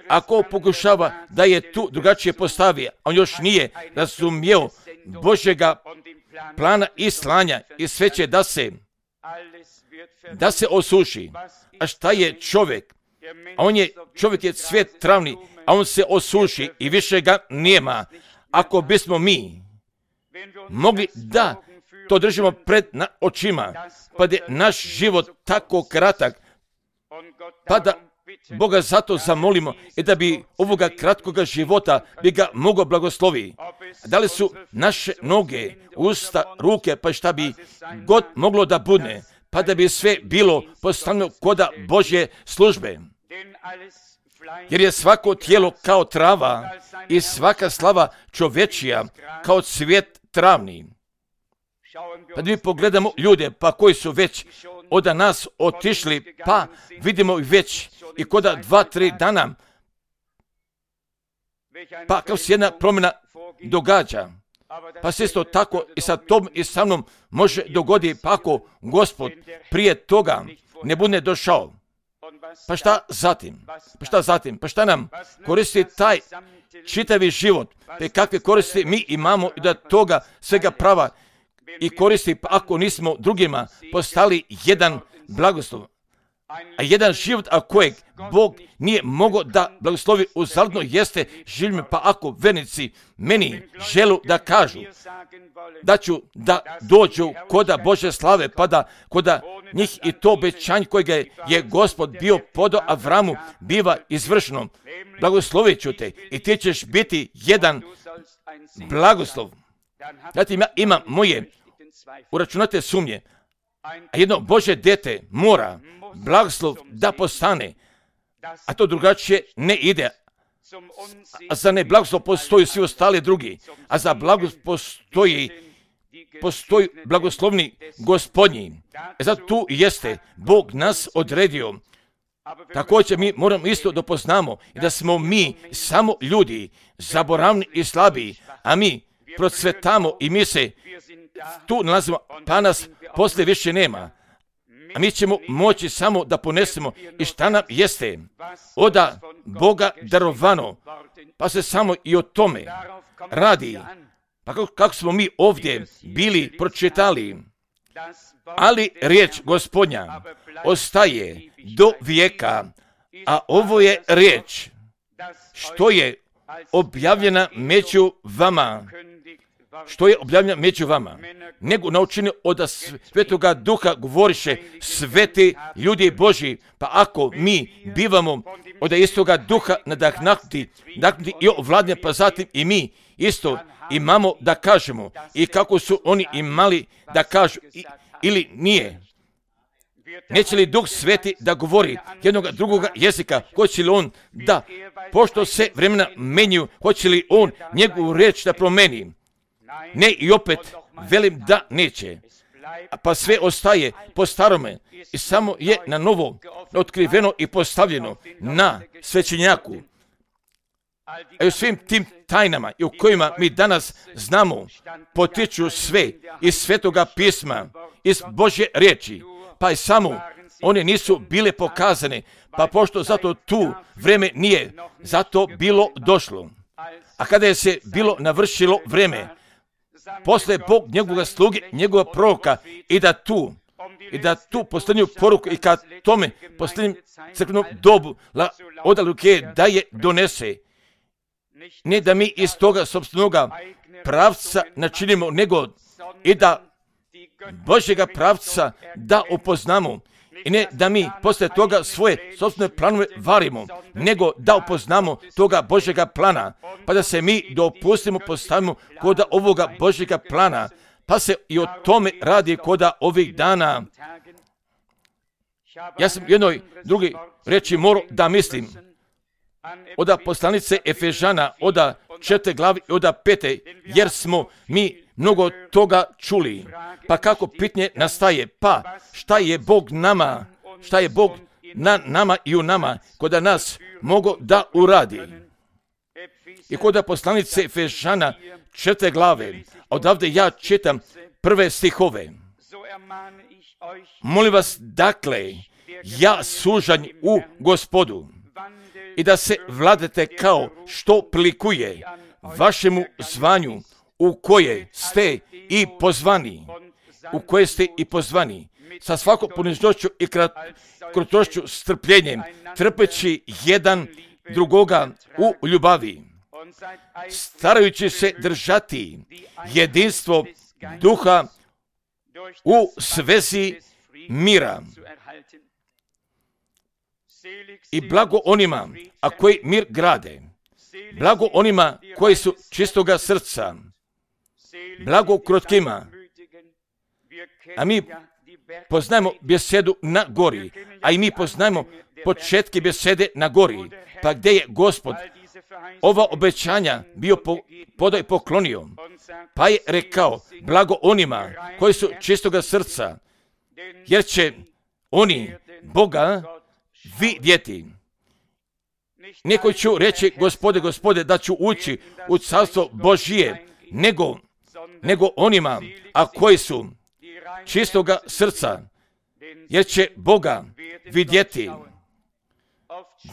Ako pokušava da je tu drugačije postavio, on još nije razumio Božjega plana i slanja i sve će da se, da se osuši. A šta je čovjek? A on je, čovjek je cvijet travni, a on se osuši i više ga nema. Ako bismo mi mogli da to držimo pred na očima, pa da je naš život tako kratak, pa da Boga zato zamolimo i da bi ovoga kratkoga života bi ga mogao blagoslovi. Da li su naše noge, usta, ruke, pa šta bi god moglo da bude, pa da bi sve bilo postavljeno koda Božje službe. Jer je svako tijelo kao trava i svaka slava čovečija kao cvijet travni. Pa da mi pogledamo ljude, pa koji su već od nas otišli, pa vidimo ih već i koda dva, tri dana, pa kao se jedna promjena događa. Pa se isto tako i sa tom i sa mnom može dogoditi, pa ako Gospod prije toga ne bude došao. Pa šta zatim? Pa šta zatim? Pa šta nam koristi taj čitavi život? Pa kakve koristi mi imamo i da toga svega prava i koristi, pa ako nismo drugima postali jedan blagoslov. A jedan život, a kojeg Bog nije mogao da blagoslovi uzaludno jeste živim, pa ako vernici meni želu da kažu da ću da dođu koda Bože slave, pa da koda njih i to obećanje kojega je Gospod bio podao Avramu biva izvršeno. Blagoslovit ću te i ti ćeš biti jedan blagoslov. Zatim ja imam moje uračunate sumnje, a jedno Božje dete mora blagoslov da postane, a to drugačije ne ide. A za ne blagoslov postoji svi ostali drugi, a za blagoslov postoji, postoji blagoslovni Gospodnji. E zato tu jeste Bog nas odredio. Također mi moramo isto da poznamo i da smo mi samo ljudi, zaboravni i slabiji, a mi procvetamo i mi se tu nalazimo, pa nas poslije više nema. a mi ćemo moći samo da ponesemo i šta nam jeste oda Boga darovano, pa se samo i o tome radi. Pa kako, kako smo mi ovdje bili pročitali, ali riječ Gospodnja ostaje do vijeka, a ovo je riječ što je objavljena među vama, što je objavljena među vama, nego naučeni od Svetoga Duha govoriše sveti ljudi Božji. Pa ako mi bivamo od istoga Duha nadahnuti, nadahnuti i ovladnje, pa zatim i mi isto imamo da kažemo i kako su oni imali da kažu i, ili nije. Neće li Duh Sveti da govori jednog drugoga jezika? Hoće li on da, pošto se vremena menju, hoće li on njegovu riječ da promeni? Ne, i opet velim da neće. Pa sve ostaje po starome i samo je na novo otkriveno i postavljeno na svećenjaku. A i u svim tim tajnama i u kojima mi danas znamo potiču sve iz Svetoga pisma, iz Božje riječi, pa i samo one nisu bile pokazane, pa pošto zato tu vreme nije zato bilo došlo. A kada je se bilo navršilo vreme, posle Bog njegovoga sluge, njegova proroka, i da tu, i da tu posljednju poruku i kad tome posljednjem crkvenom dobu od Luke da je donese. Ne da mi iz toga sopstvenoga pravca načinimo, nego i da Božjega pravca da upoznamo. I ne da mi posle toga svoje sopstvene planove varimo, nego da upoznamo toga Božjega plana, pa da se mi dopustimo, postavimo koda ovoga Božjega plana, pa se i o tome radi koda ovih dana. Ja sam jednoj drugi reči morao da mislim, oda poslanice Efežana, oda četvrte glavi i oda pete, jer smo mi mnogo toga čuli. Pa kako pitanje nastaje? Pa šta je Bog nama, šta je Bog na nama i u nama, koda nas mogo da uradi? I koda poslanice Efežana četvrte glave, odavde ja čitam prve stihove. Molim vas, dakle, ja sužanj u Gospodu, i da se vladete kao što prilikuje vašemu zvanju u koje ste i pozvani, u koje ste i pozvani, sa svakom ponižnošću i krutošću, strpljenjem, trpeći jedan drugoga u ljubavi, starajući se držati jedinstvo duha u svezi mira. I blago onima, a koji mir grade, blago onima koji su čistoga srca, blago krotkima. A mi poznajemo besedu na gori, a i mi poznajemo početke besede na gori, pa gdje je Gospod ova obećanja bio po, podao i poklonio, pa je rekao, blago onima koji su čistoga srca, jer će oni Boga vidjeti. Neko ću reći, Gospode, Gospode, da ću ući u carstvo Božije, nego, nego onima, a koji su čistoga srca, jer će Boga vidjeti.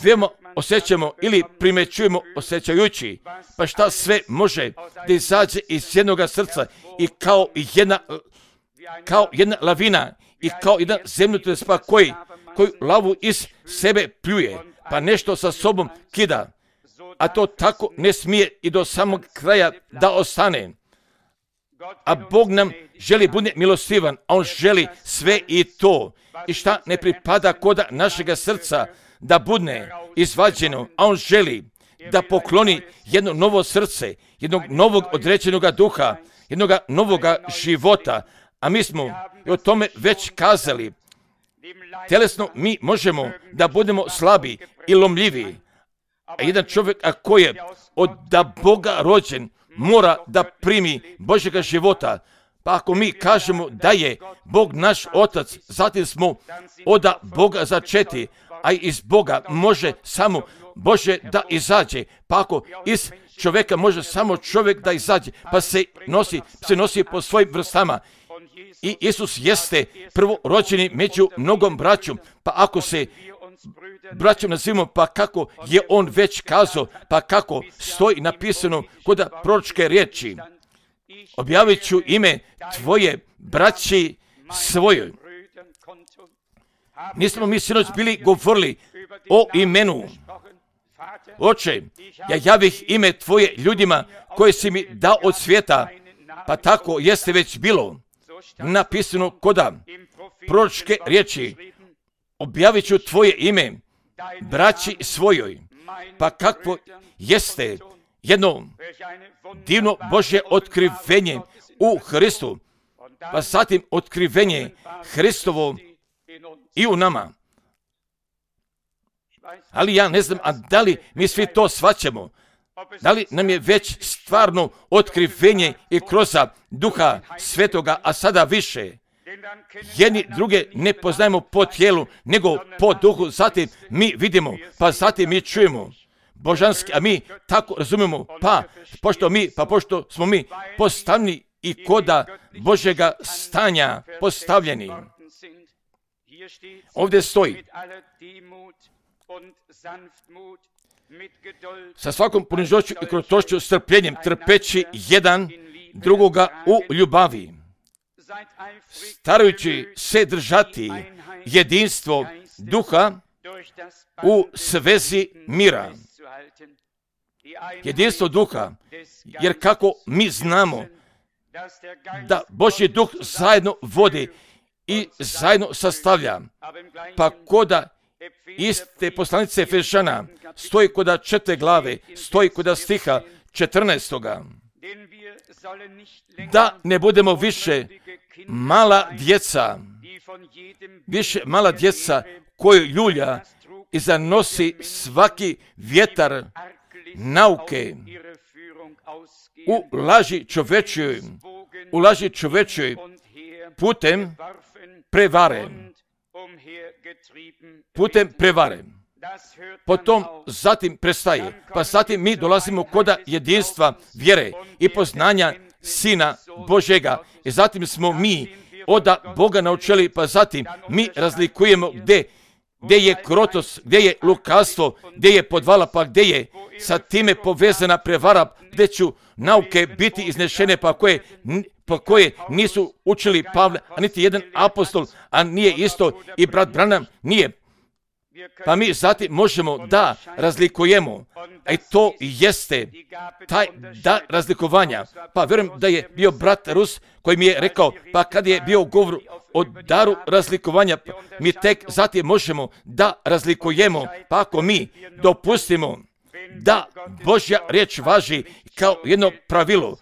Veoma osjećamo ili primećujemo osjećajući, pa šta sve može da izađe iz jednoga srca i kao jedna, kao jedna lavina i kao jedan zemljotres, pa koji, koji lavu iz sebe pljuje, pa nešto sa sobom kida, a to tako ne smije i do samog kraja da ostane. A Bog nam želi bude milostivan, a On želi sve i to, i šta ne pripada koda našega srca, da bude izvađeno, a On želi da pokloni jedno novo srce, jednog novog određenog duha, jednog novog života, a mi smo i o tome već kazali. Tjelesno mi možemo da budemo slabi i lomljivi, a jedan čovjek a koji je od da Boga rođen mora da primi Božjega života. Pa ako mi kažemo da je Bog naš Otac, zatim smo od Boga začeti, a iz Boga može samo Bože da izađe. Pa ako iz čovjeka može samo čovjek da izađe, pa se nosi, se nosi po svojim vrstama. I Isus jeste prvorođeni među mnogom braćom, pa ako se braćom nazivamo, pa kako je on već kazao, pa kako stoji napisano kod proročke riječi, objavit ću ime tvoje braći svojoj. Nismo mi sinoć bili govorili o imenu. Oče, ja javih ime tvoje ljudima koje si mi dao od svijeta, pa tako jeste već bilo napisano koda proročke riječi, objavit ću tvoje ime braći svojoj, pa kakvo jeste jedno divno Božje otkrivenje u Hristu, pa zatim otkrivenje Hristovo i u nama. Ali ja ne znam, a da li mi svi to shvaćamo? Da li nam je već stvarno otkrivenje i kroz Duha Svetoga, a sada više? Jedni druge ne poznajemo po tijelu, nego po duhu, zatim mi vidimo, pa zatim mi čujemo božanski, a mi tako razumijemo, pa pošto mi, pa pošto smo mi postavljeni i koda Božjega stanja postavljeni. Ovdje stoji, sa svakom ponižnošću i krotošću, strpljenjem, trpeći jedan drugoga u ljubavi, starajući se držati jedinstvo duha u svezi mira. Jedinstvo duha, jer kako mi znamo da Božji duh zajedno vodi i zajedno sastavlja, pa koda iste poslanice Efešana stoji koda četiri glave, stoji koda stiha četrnaestoga. Da ne budemo više mala djeca, više mala djeca koju ljulja i zanosi svaki vjetar nauke u laži čovečjoj, u laži čovečjoj putem prevare. Putem prevare. Potom zatim prestaje, pa zatim mi dolazimo koda jedinstva vjere i poznanja Sina Božjega. I zatim smo mi od Boga naučili, pa zatim mi razlikujemo gdje, gdje je krotost, gdje je lukavstvo, gdje je podvala, pa gdje je sa time povezana prevara, gdje ću nauke biti iznešene, pa koje, pa koje nisu učili Pavle, a niti jedan apostol, a nije isto i brat Branham nije. Pa mi zatim možemo da razlikujemo, a i to jeste taj da razlikovanja. Pa vjerujem da je bio brat Rus koji mi je rekao, pa kad je bio govor o daru razlikovanja, mi tek zatim možemo da razlikujemo, pa ako mi dopustimo da Božja riječ važi kao jedno pravilo,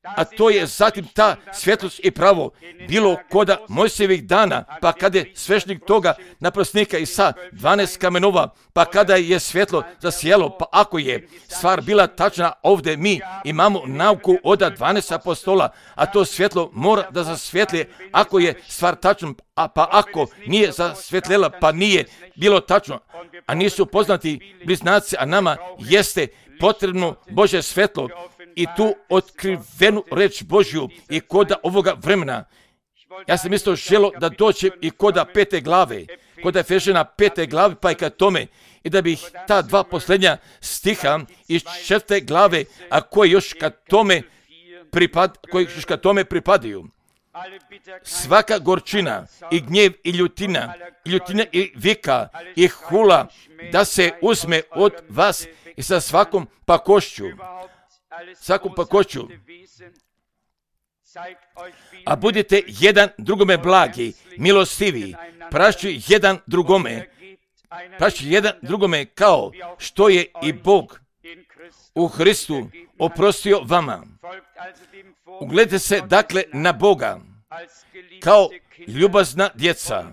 a to je zatim ta svjetlost i pravo bilo koda Mojsijevih dana, pa kada je svešnik toga naprosnika i sa dvanaest kamenova, pa kada je svjetlo zasijelo, pa ako je stvar bila tačna, ovdje mi imamo nauku od dvanaest apostola, a to svjetlo mora da zasvjetlje ako je stvar tačna, a pa ako nije zasvjetljela, pa nije bilo tačno, a nisu poznati bliznaci, a nama jeste potrebno Božje svjetlo i tu otkrivenu reč Božju i koda ovoga vremena. Ja sam isto želo da dođem i koda pete glave, koda je Efešana pete glave, pa i ka tome, i da bih ta dva posljednja stiha iz četvrte glave, a koje još ka tome pripad, koji još ka tome pripadaju. Svaka gorčina i gnjev i ljutina, i ljutina i vika i hula, da se uzme od vas i sa svakom pakošću, svakom pakošću. A budite jedan drugome blagi, milostivi, prašći jedan drugome, prašći jedan drugome kao što je i Bog u Hristu oprostio vama. Ugledajte se dakle na Boga kao ljubazna djeca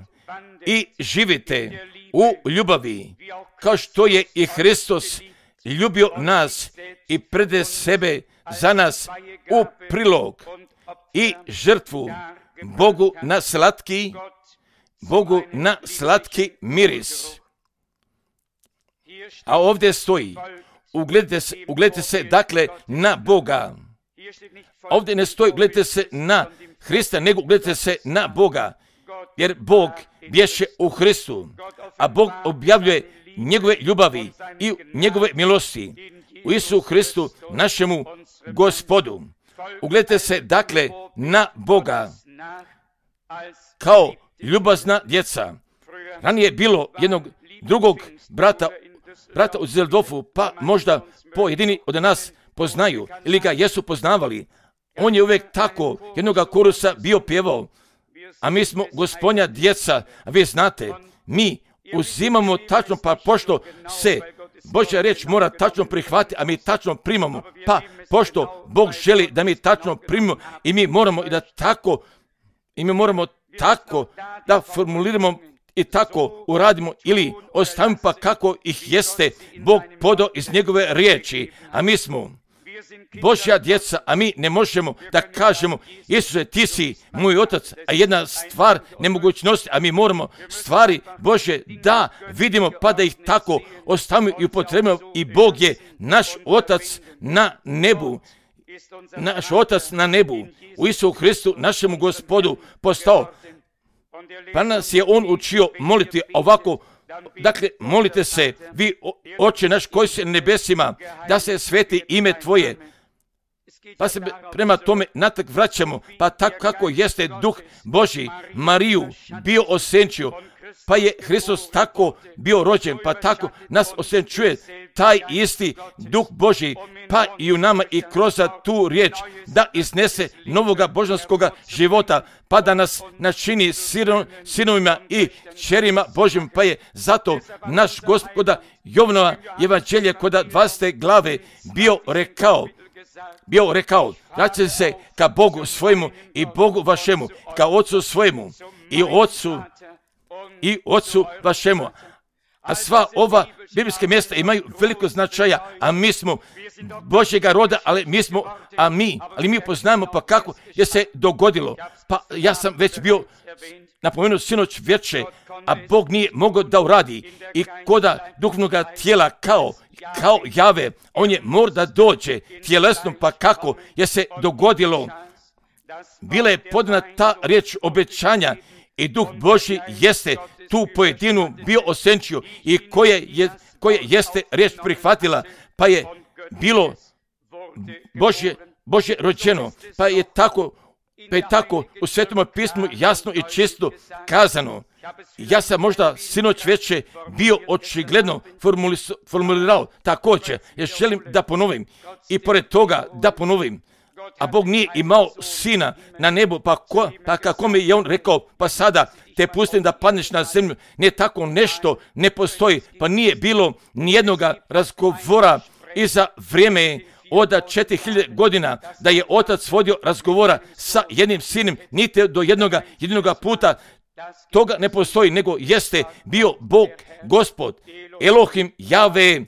i živite u ljubavi kao što je i Hristos ljubio nas i prede sebe za nas u prilog i žrtvu Bogu na slatki, Bogu na slatki miris. A ovdje stoji, ugledajte se, ugledajte se dakle na Boga Ovdje ne stoji gledajte se na Hrista, nego gledajte se na Boga. Jer Bog bješe u Hristu, a Bog objavljuje njegove ljubavi i njegove milosti u Isusu Hristu, našemu Gospodu. Ugledajte se dakle na Boga kao ljubazna djeca. Ranije je bilo jednog drugog brata, brata u Zeldorfu, pa možda pojedini od nas poznaju ili ga jesu poznavali. On je uvijek tako jednoga korusa bio pjevao, a mi smo Gospodnja djeca, a vi znate, mi uzimamo tačno, pa pošto se Božja riječ mora tačno prihvatiti, a mi tačno primamo, pa pošto Bog želi da mi tačno primimo i mi moramo i da tako, i mi moramo tako da formuliramo i tako uradimo ili ostavimo pa kako ih jeste Bog podao iz njegove riječi, a mi smo Božja djeca, a mi ne možemo da kažemo Isuse, ti si moj otac, a jedna stvar nemogućnosti, a mi moramo stvari Božje da vidimo pa da ih tako ostavimo i upotrebimo i Bog je naš otac na nebu. Naš otac na nebu u Isusu Hristu, našemu Gospodu postao. Pa nas je on učio moliti ovako. Dakle, molite se, vi Oče naš koji si na nebesima, da se sveti ime Tvoje. Pa se prema tome natrag vraćamo, pa tako kako jeste Duh Božji Mariju bio osenčio, pa je Hristos tako bio rođen, pa tako nas osenčuje taj isti Duh Božji, pa i u nama i kroz tu riječ da iznese novoga božanskoga života, pa da nas načini sinovima i kćerima Božjim, pa je zato naš Gospoda Jovanova evanđelje kod dvadesete glave bio rekao, bio rekao, vraćajte se ka Bogu svojemu i Bogu vašemu, ka Otcu svojemu i Otcu i Otcu vašemu. A sva ova biblijska mjesta imaju veliko značaja, a mi smo Božjega roda, ali mi smo, a mi, ali mi poznajemo pa kako je se dogodilo. Pa ja sam već bio napomenuo sinoć večer, a Bog nije mogao da uradi i koda duhovnoga tijela kao, kao jave, on je mora da dođe tjelesnom, pa kako je se dogodilo. Bila je podana ta riječ obećanja i Duh Božji jeste tu pojedinu bio osenčio i koje, je, koje jeste riječ prihvatila, pa je bilo Božje, Božje rođeno, pa je tako, pa je tako u Svetom pismu jasno i čisto kazano. Ja sam možda sinoć večer bio očigledno formulirao također, jer želim da ponovim i pored toga da ponovim. A Bog nije imao sina na nebu, pa, ko, pa kako mi je on rekao, pa sada te pustim da padneš na zemlju. Ne, tako nešto ne postoji, pa nije bilo nijednoga razgovora iza vrijeme od četiri hiljade godina da je otac vodio razgovora sa jednim sinom, niti do jednoga, jednoga puta. Toga ne postoji, nego jeste bio Bog, Gospod, Elohim, Jave,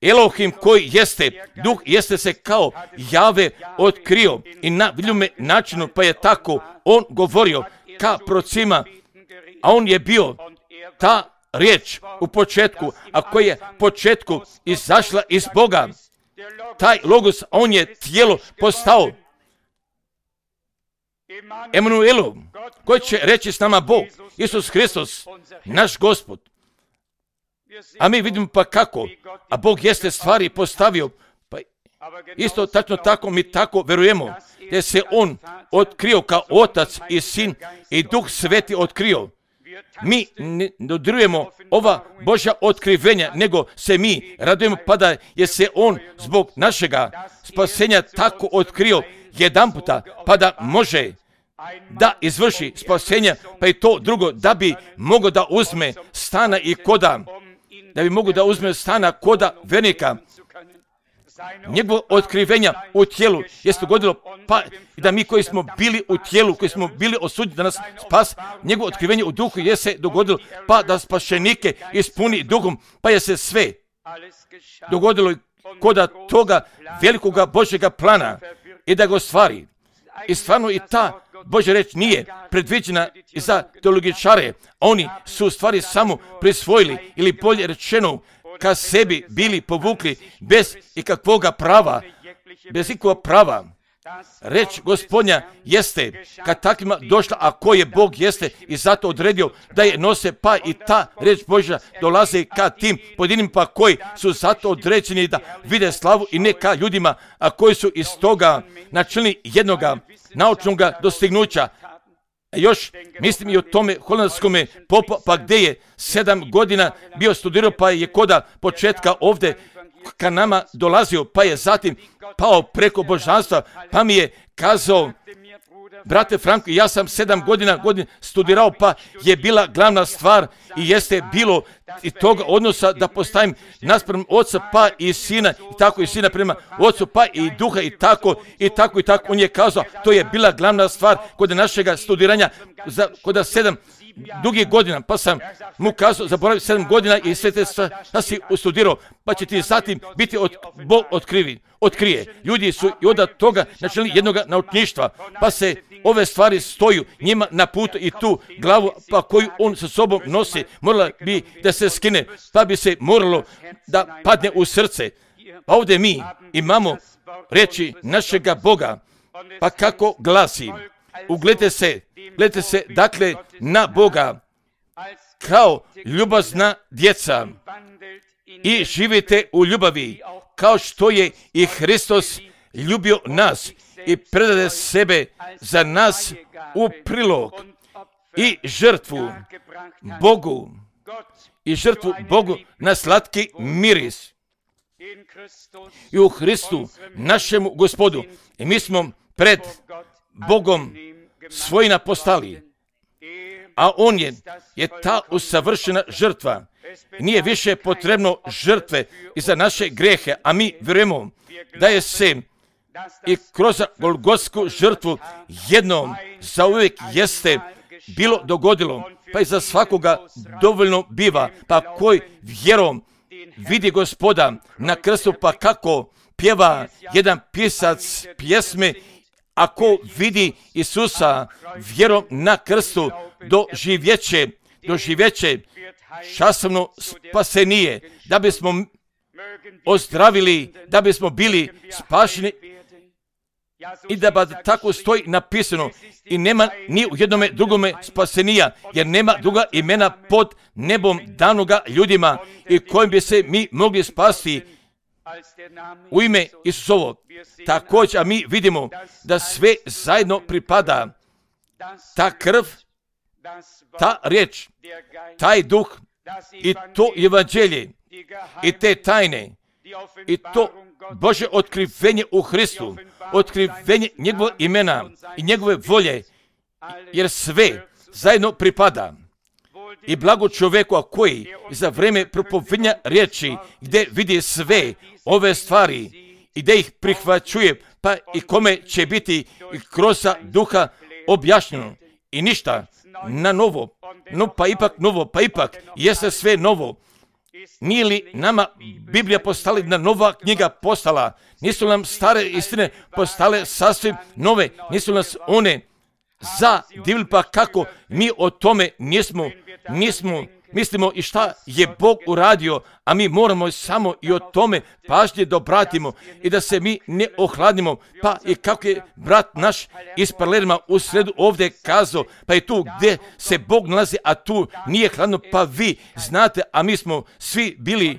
Elohim koji jeste, Duh jeste se kao Jave otkrio i na vidljume načinu, pa je tako on govorio ka procima, a on je bio ta riječ u početku, a koja je početku izašla iz Boga. Taj logos, on je tijelo postao. Emanuelu, koji će reći s nama Bog, Isus Hristos, naš Gospod. A mi vidimo pa kako, a Bog jeste stvari postavio, pa isto tačno tako mi tako verujemo, da se on otkrio kao otac i sin i Duh Sveti otkrio. Mi ne dodirujemo ova Božja otkrivenja, nego se mi radujemo pa da je se on zbog našega spasenja tako otkrio jedan puta, pa da može da izvrši spasenja, pa i to drugo, da bi mogao da uzme stana i koda, da bi mogao da uzme stana koda vernika. Njegovo otkrivenja u tijelu jeste dogodilo, pa da mi koji smo bili u tijelu, koji smo bili osuđeni da nas spas, njegovo otkrivenje u duhu je se dogodilo, pa da spašenike ispuni duhom, pa je se sve dogodilo koda toga velikoga Božjega plana i da ga stvari. I stvarno i ta Božja reč nije predviđena za teologičare. Oni su u stvari samo prisvojili, ili bolje rečeno, ka sebi bili povukli bez ikakvoga prava, bez ikakvog prava. Reč Gospodnja jeste kad takvima došla, a ko je Bog jeste i zato odredio da je nose, pa i ta reč Božja dolaze ka tim pojedinim pa koji su zato određeni da vide slavu i ne ka ljudima, a koji su iz toga načinili jednoga naučnoga dostignuća. Još mislim i o tome holandskome popu, pa gdje je sedam godina bio studirao, pa je koda početka ovdje ka nama dolazio, pa je zatim pao preko božanstva, pa mi je kazao, brate Franko, ja sam sedam godina godin studirao, pa je bila glavna stvar i jeste bilo i toga odnosa da postavim naspram oca, pa i sina, i tako i sina prema ocu, pa i duha, i tako, i tako, i tako. On je kazao, to je bila glavna stvar kod našega studiranja, za, kod sedam dugih godina, pa sam mu kazao, zaboravio sedam godina i sve te šta si studirao, pa će ti zatim biti od, Bog otkrivi, otkrije. Ljudi su i od toga načeli jednog naučništva, pa se ove stvari stoju njima na putu i tu glavu pa koju on sa sobom nosi, morala bi da se skine, pa bi se moralo da padne u srce. Pa ovdje mi imamo reči našega Boga, pa kako glasi, ugledajte se, gledajte se dakle na Boga kao ljubazna djeca i živite u ljubavi, kao što je i Hristos ljubio nas i predade sebe za nas u prilog i žrtvu Bogu i žrtvu Bogu na slatki miris i u Hristu našemu Gospodu. I mi smo pred Bogom svojina postali, a on je, je ta usavršena žrtva. Nije više potrebno žrtve i za naše grehe, a mi vjerujemo da je se i kroz golgotsku žrtvu jednom zauvijek jeste bilo dogodilo, pa i za svakoga dovoljno biva, pa koji vjerom vidi Gospoda na krstu, pa kako pjeva jedan pisac pjesme, ako vidi Isusa vjerom na krstu, doživjeće, doživjeće časovno spasenije, da bismo ozdravili, da bismo bili spašeni i da ba tako stoji napisano i nema ni u jednome drugome spasenija, jer nema druga imena pod nebom danoga ljudima i kojim bi se mi mogli spasti u ime Isusovo. Također, a mi vidimo da sve zajedno pripada, ta krv, ta riječ, taj duh i to evanđelje i te tajne i to Bože otkrivenje u Hristu, otkrivenje njegove imena i njegove volje, jer sve zajedno pripada. I blago čovjeku koji za vrijeme propovedanja riječi gdje vidi sve ove stvari i gdje ih prihvaćuje, pa i kome će biti kroz duha objašnjeno i ništa na novo, no pa ipak novo, pa ipak jeste sve novo. Nije li nama Biblija postala jedna nova knjiga postala? Nisu nam stare istine postale sasvim nove? Nisu nas one zadivili, pa kako mi o tome nismo, nismo, mislimo i šta je Bog uradio, a mi moramo samo i o tome pažnje da obratimo i da se mi ne ohladimo, pa i kako je brat naš iz Palerma u sredu ovdje kazao, pa je tu gdje se Bog nalazi, a tu nije hladno, pa vi znate, a mi smo svi bili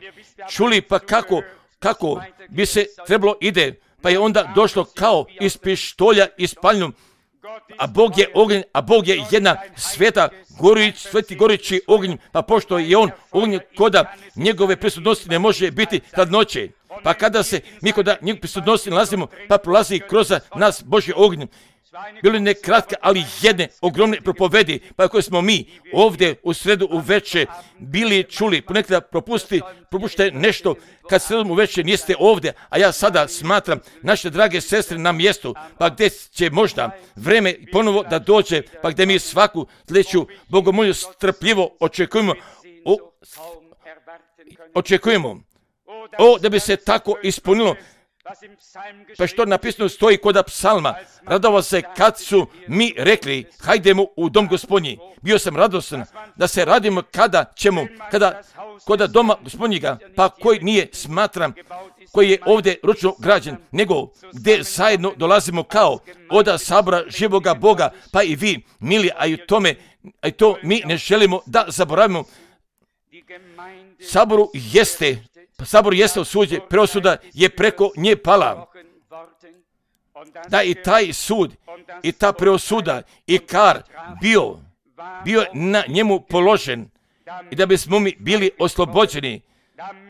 čuli, pa kako, kako bi se trebalo ide, pa je onda došlo kao iz pištolja ispaljeno, a Bog je ognjen, a Bog je jedna sveta, gorić, sveti gorići ognjen, pa pošto je on ognjen, koda njegove prisutnosti ne može biti hladnoće. Pa kada se mi kod njegove prisutnosti nalazimo, pa prolazi kroz nas Božji ognjen. Bilo ne kratke, ali jedne ogromne propovedi, pa koje smo mi ovdje u sredu uveče bili čuli. Ponekada propusti, propušte nešto kad sredom uveče niste ovdje, a ja sada smatram naše drage sestre na mjestu, pa gdje će možda vreme ponovo da dođe, pa gdje mi svaku sljedeću bogomolju strpljivo očekujemo, o, očekujemo, o, da bi se tako ispunilo. Pa što napisano stoji kod psalma, radovao se kad su mi rekli, hajdemo u dom Gospodnji. Bio sam radostan, da se radimo kada ćemo, kada koda doma gospodnjega, pa koji nije smatram, koji je ovdje ručno građen, nego gdje zajedno dolazimo kao oda sabora živoga Boga, pa i vi, mili, a i tome, a i to mi ne želimo da zaboravimo. Saboru jeste, sabor jeste osuđen, preosuda je preko nje pala. Da i taj sud, i ta preosuda, i kar bio, bio na njemu položen, i da bismo mi bili oslobođeni,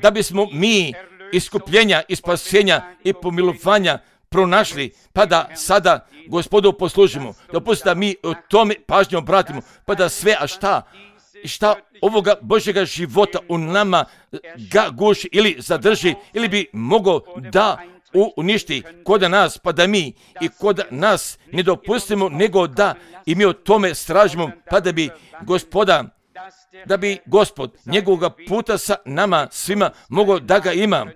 da bismo mi iskupljenja i spasenja i pomilovanja pronašli, pa da sada Gospodu poslužimo. Dopustite da mi o tome pažnju obratimo, pa da sve, a šta, šta ovoga Božjega života u nama ga guši ili zadrži, ili bi mogao da uništi koda nas, pa da mi i koda nas ne dopustimo, nego da i mi o tome stražimo, pa da bi Gospoda, da bi Gospod njegovoga puta sa nama svima mogao da ga ima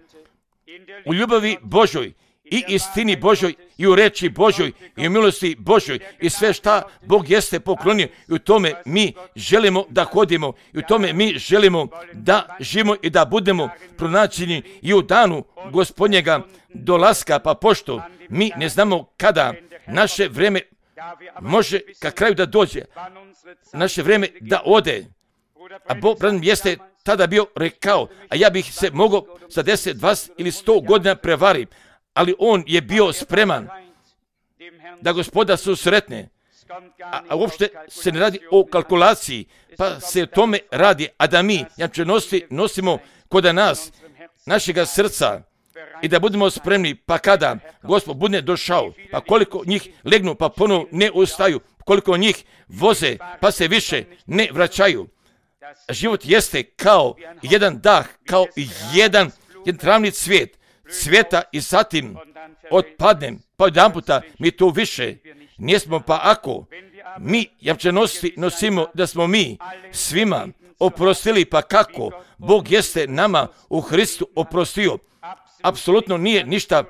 u ljubavi Božoj i istini Božoj i u reči Božoj i u milosti Božoj i sve šta Bog jeste poklonio, i u tome mi želimo da hodimo, i u tome mi želimo da živimo i da budemo pronađeni i u danu Gospodnjega dolaska, pa pošto mi ne znamo kada naše vreme može ka kraju da dođe, naše vreme da ode, a Bog jeste tada bio rekao, a ja bih se mogao za deset, dvadeset ili sto godina prevari, ali on je bio spreman da Gospoda susretne, a, a uopšte se ne radi o kalkulaciji, pa se o tome radi, a da mi jamčenosti nosimo kod nas, našega srca, i da budemo spremni, pa kada Gospod bude došao, pa koliko njih legnu, pa ponovo ne ustaju, koliko njih voze, pa se više ne vraćaju. Život jeste kao jedan dah, kao jedan, jedan travni cvijet, cvijeta i zatim otpadnem, pa jedan puta mi to više nismo, pa ako mi jamčenosti nosimo da smo mi svima oprostili, pa kako Bog jeste nama u Hristu oprostio, apsolutno nije ništa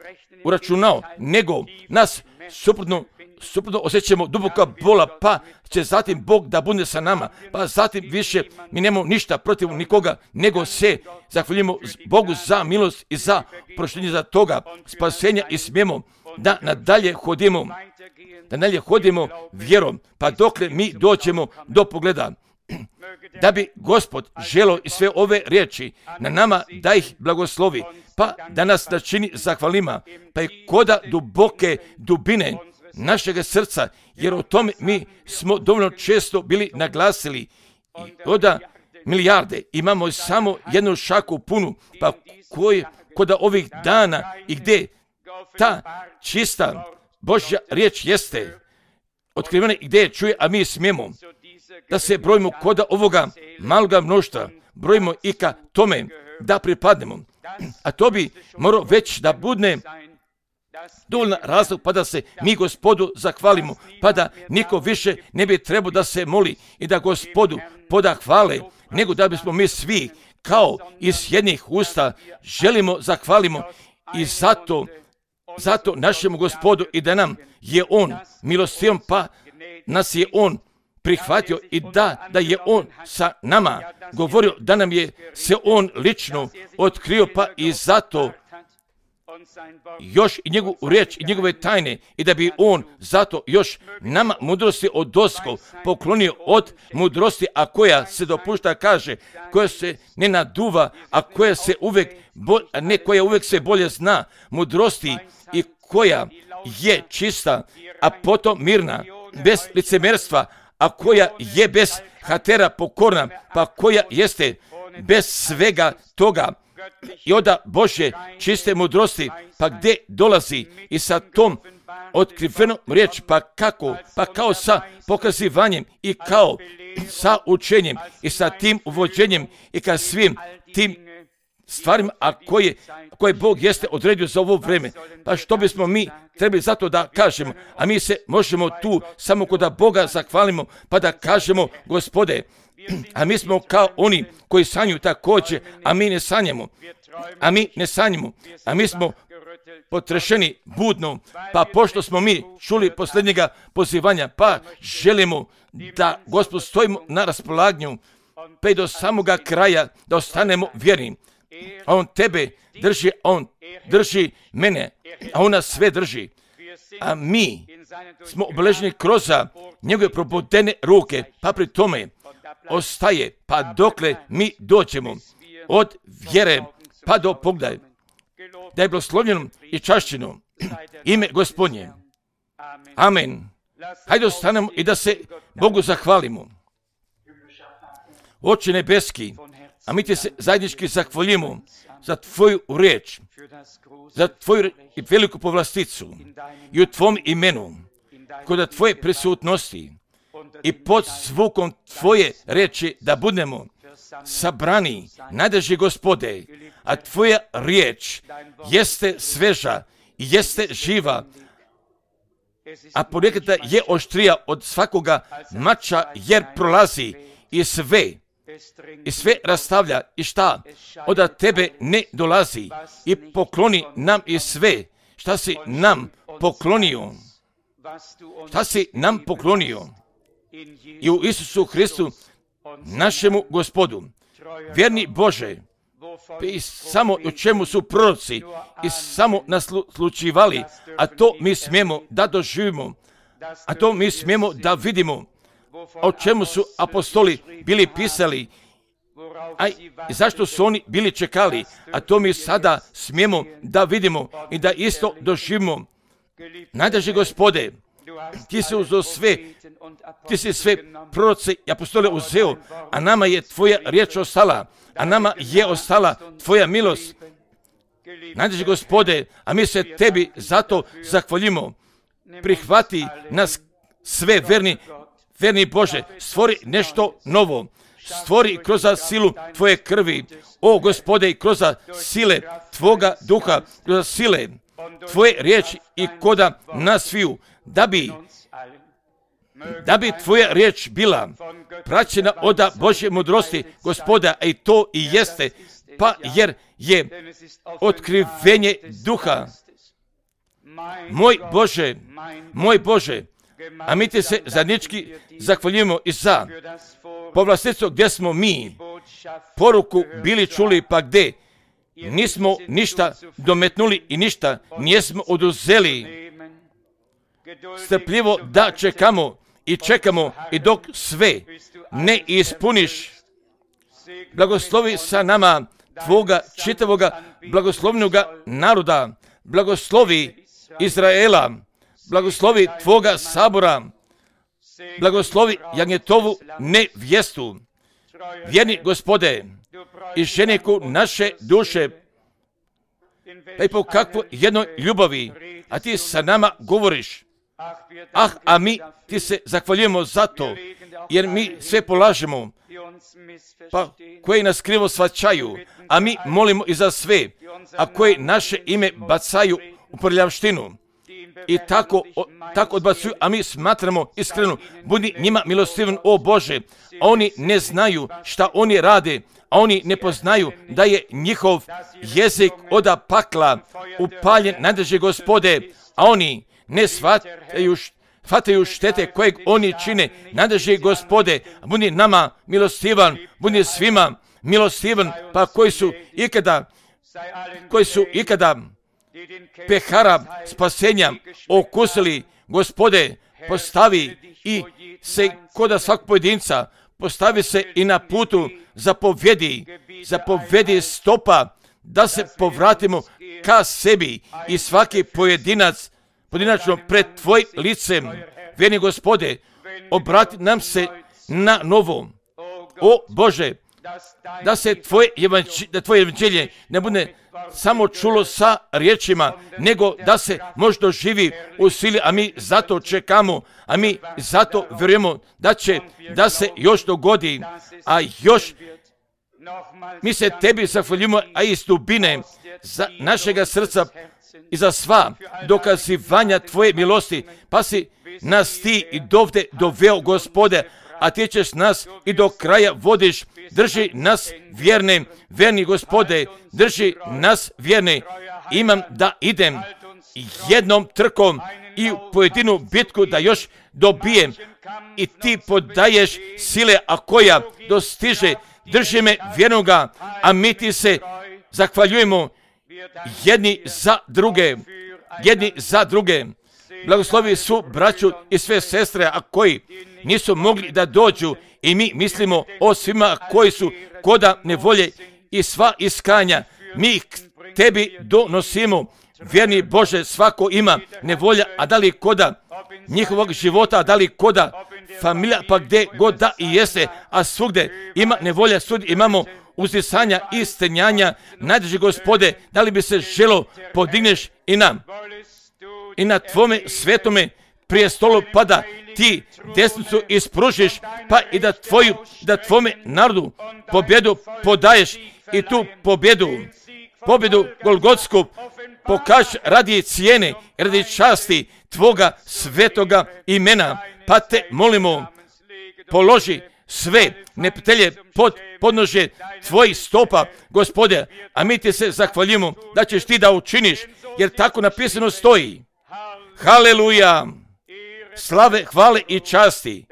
uračunao, nego nas suprotno suprotno osjećamo duboka bola, pa će zatim Bog da bude sa nama, pa zatim više mi nemamo ništa protiv nikoga, nego se zahvaljujemo Bogu za milost i za prošljenje za toga spasenja i smijemo da nadalje hodimo, da nadalje hodimo vjerom, pa dokle mi doćemo do pogleda, da bi Gospod želio i sve ove riječi na nama da ih blagoslovi, pa da nas načini zahvalima, pa i koda duboke dubine našega srca, jer o tome mi smo dovoljno često bili naglasili, i koda milijarde imamo samo jednu šaku punu, pa koji koda ovih dana i gdje ta čista Božja riječ jeste otkrivena i gdje je čuje, a mi smijemo da se brojimo koda ovoga maloga mnoštva, brojimo i ka tome da pripadnemo, a to bi morao već da bude dovoljna razlog, pa da se mi Gospodu zahvalimo, pa da niko više ne bi trebao da se moli i da Gospodu poda hvale, nego da bismo mi svi kao iz jednih usta želimo zahvalimo i zato, zato našemu Gospodu, i da nam je On milostivom, pa nas je On prihvatio i da, da je On sa nama govorio, da nam je se On lično otkrio, pa i zato još i njegovu riječ i njegove tajne, i da bi On zato još nama mudrosti od doskov poklonio od mudrosti, a koja se dopušta, kaže, koja se ne naduva, a koja se uvek, bo, a ne koja uvek se bolje zna, mudrosti i koja je čista, a potom mirna, bez licemerstva, a koja je bez hatera pokorna, pa koja jeste bez svega toga i oda Božje čiste mudrosti, pa gdje dolazi i sa tom otkrivenom riječ, pa kako, pa kao sa pokazivanjem i kao sa učenjem i sa tim uvođenjem i ka svim tim stvarima, a koje, koje Bog jeste odredio za ovo vreme. Pa što bismo mi trebali zato da kažemo, a mi se možemo tu samo kod Boga zahvalimo, pa da kažemo, Gospode, a mi smo kao oni koji sanjuju također, a mi ne sanjamo, a mi ne sanjamo, a mi smo potrešeni budno, pa pošto smo mi čuli posljednjega pozivanja, pa želimo da, Gospod, stojimo na raspolaganju, pa i do samoga kraja da ostanemo vjerni. A on tebe drži, on drži mene, a on nas sve drži. A mi smo obeleženi kroz njegove probodene ruke, pa pri tome ostaje, pa dokle mi dođemo od vjere pa do pogledaja, da je blagoslovljeno i čašćeno ime Gospodnje. Amen. Hajde ostanemo i da se Bogu zahvalimo. Oče nebeski, a mi ti se zajednički zahvaljujemo za tvoju riječ, za tvoju veliku povlasticu i u tvom imenu, kod tvoje prisutnosti i pod zvukom tvoje riječi da budemo sabrani, najdraži Gospode, a tvoja riječ jeste sveža i jeste živa, a ponekada je oštrija od svakoga mača, jer prolazi i sve, i sve rastavlja i šta od tebe ne dolazi, i pokloni nam i sve šta si nam poklonio, šta si nam poklonio i u Isusu Hristu našemu Gospodu. Vjerni Bože, i samo u čemu su proroci i samo naslučivali, a to mi smijemo da doživimo, a to mi smijemo da vidimo, o čemu su apostoli bili pisali, a zašto su oni bili čekali, a to mi sada smijemo da vidimo i da isto doživimo. Najdraži Gospode, ti si uzeo sve, ti si sve proroce i apostole uzeo, a nama je tvoja riječ ostala, a nama je ostala tvoja milost. Najdraži Gospode, a mi se tebi zato zahvaljimo. Prihvati nas sve, verni, verni Bože, stvori nešto novo, stvori kroz silu tvoje krvi, o Gospode, i kroz sile tvoga duha, kroz sile tvoje riječi i koda nas sviju, da bi da bi tvoja riječ bila praćena od Božje mudrosti, Gospoda, a i to i jeste, pa jer je otkrivenje duha. Moj Bože, moj Bože, a mi ti se zajednički zahvaljujemo i za povlasticu gdje smo mi poruku bili čuli, pa gdje nismo ništa dometnuli i ništa nismo oduzeli. Strpljivo da čekamo i čekamo i dok sve ne ispuniš. Blagoslovi sa nama tvoga čitavoga blagoslovnoga naroda, blagoslovi Izraela, blagoslovi tvoga sabora, blagoslovi jagnjetovu nevjestu. Vjerni Gospode, i ženiku naše duše, pa i po kakvoj jednoj ljubavi, a ti sa nama govoriš. Ah, a mi ti se zahvaljujemo za to, jer mi sve polažemo, pa koji nas krivo shvaćaju, a mi molimo i za sve, a koji naše ime bacaju u prljavštinu i tako, o, tako odbacuju, a mi smatramo iskreno, budi njima milostivan, o Bože, a oni ne znaju šta oni rade, a oni ne poznaju da je njihov jezik od pakla upaljen, najdraži Gospode, a oni ne shvataju, shvataju štete kojeg oni čine, najdraži Gospode, budi nama milostivan, budi svima milostivan, pa koji su ikada, koji su ikada pehara spasenja okusili, Gospode, postavi i se koda svakog pojedinca, postavi se i na putu, zapovjedi, zapovjedi stopa, da se povratimo ka sebi i svaki pojedinac, pojedinačno pred tvoj licem, vjerni Gospode, obrati nam se na novo. O Bože, da se tvoje evanđelje, da tvoje evanđelje ne bude samo čulo sa riječima, nego da se možda živi u sili, a mi zato čekamo, a mi zato vjerujemo da će da se još dogodi, a još mi se tebi zahvaljujemo, a iz dubine za našega srca i za sva dokazivanja tvoje milosti, pa si nas ti i dovde doveo, Gospode, a ti ćeš nas i do kraja vodiš. Drži nas vjerne, vjerni Gospode, drži nas vjerne imam da idem jednom trkom i u pojedinu bitku da još dobijem i ti podaješ sile, a koja dostiže, drži me vjernoga, a mi ti se zahvaljujemo jedni za druge, jedni za druge. Blagoslovi su braću i sve sestre, a koji nisu mogli da dođu, i mi mislimo o svima koji su koda nevolje i sva iskanja. Mi ih tebi donosimo. Vjerni Bože, svako ima nevolja, a da li koda njihovog života, da li koda familija, pa gdje god da i jeste, a svugde ima nevolja, svugdje imamo uzdisanja i stenjanja. Najdrži Gospode, da li bi se želo podigneš i nam i na tvome svetome prijestolu, pa da ti desnicu ispružiš, pa i da tvoju, da tvome narodu pobjedu podaješ, i tu pobjedu, pobjedu Golgotsku pokaž radi cijene, radi časti tvoga svetoga imena. Pa te molimo, položi sve neprijatelje pod podnožje tvojih stopa, Gospode, a mi ti se zahvaljujemo da ćeš ti da učiniš, jer tako napisano stoji. Haleluja! Slave, hvale i časti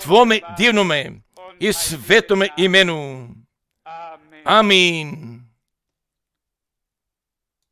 tvome divnome i svetome imenu. Amin.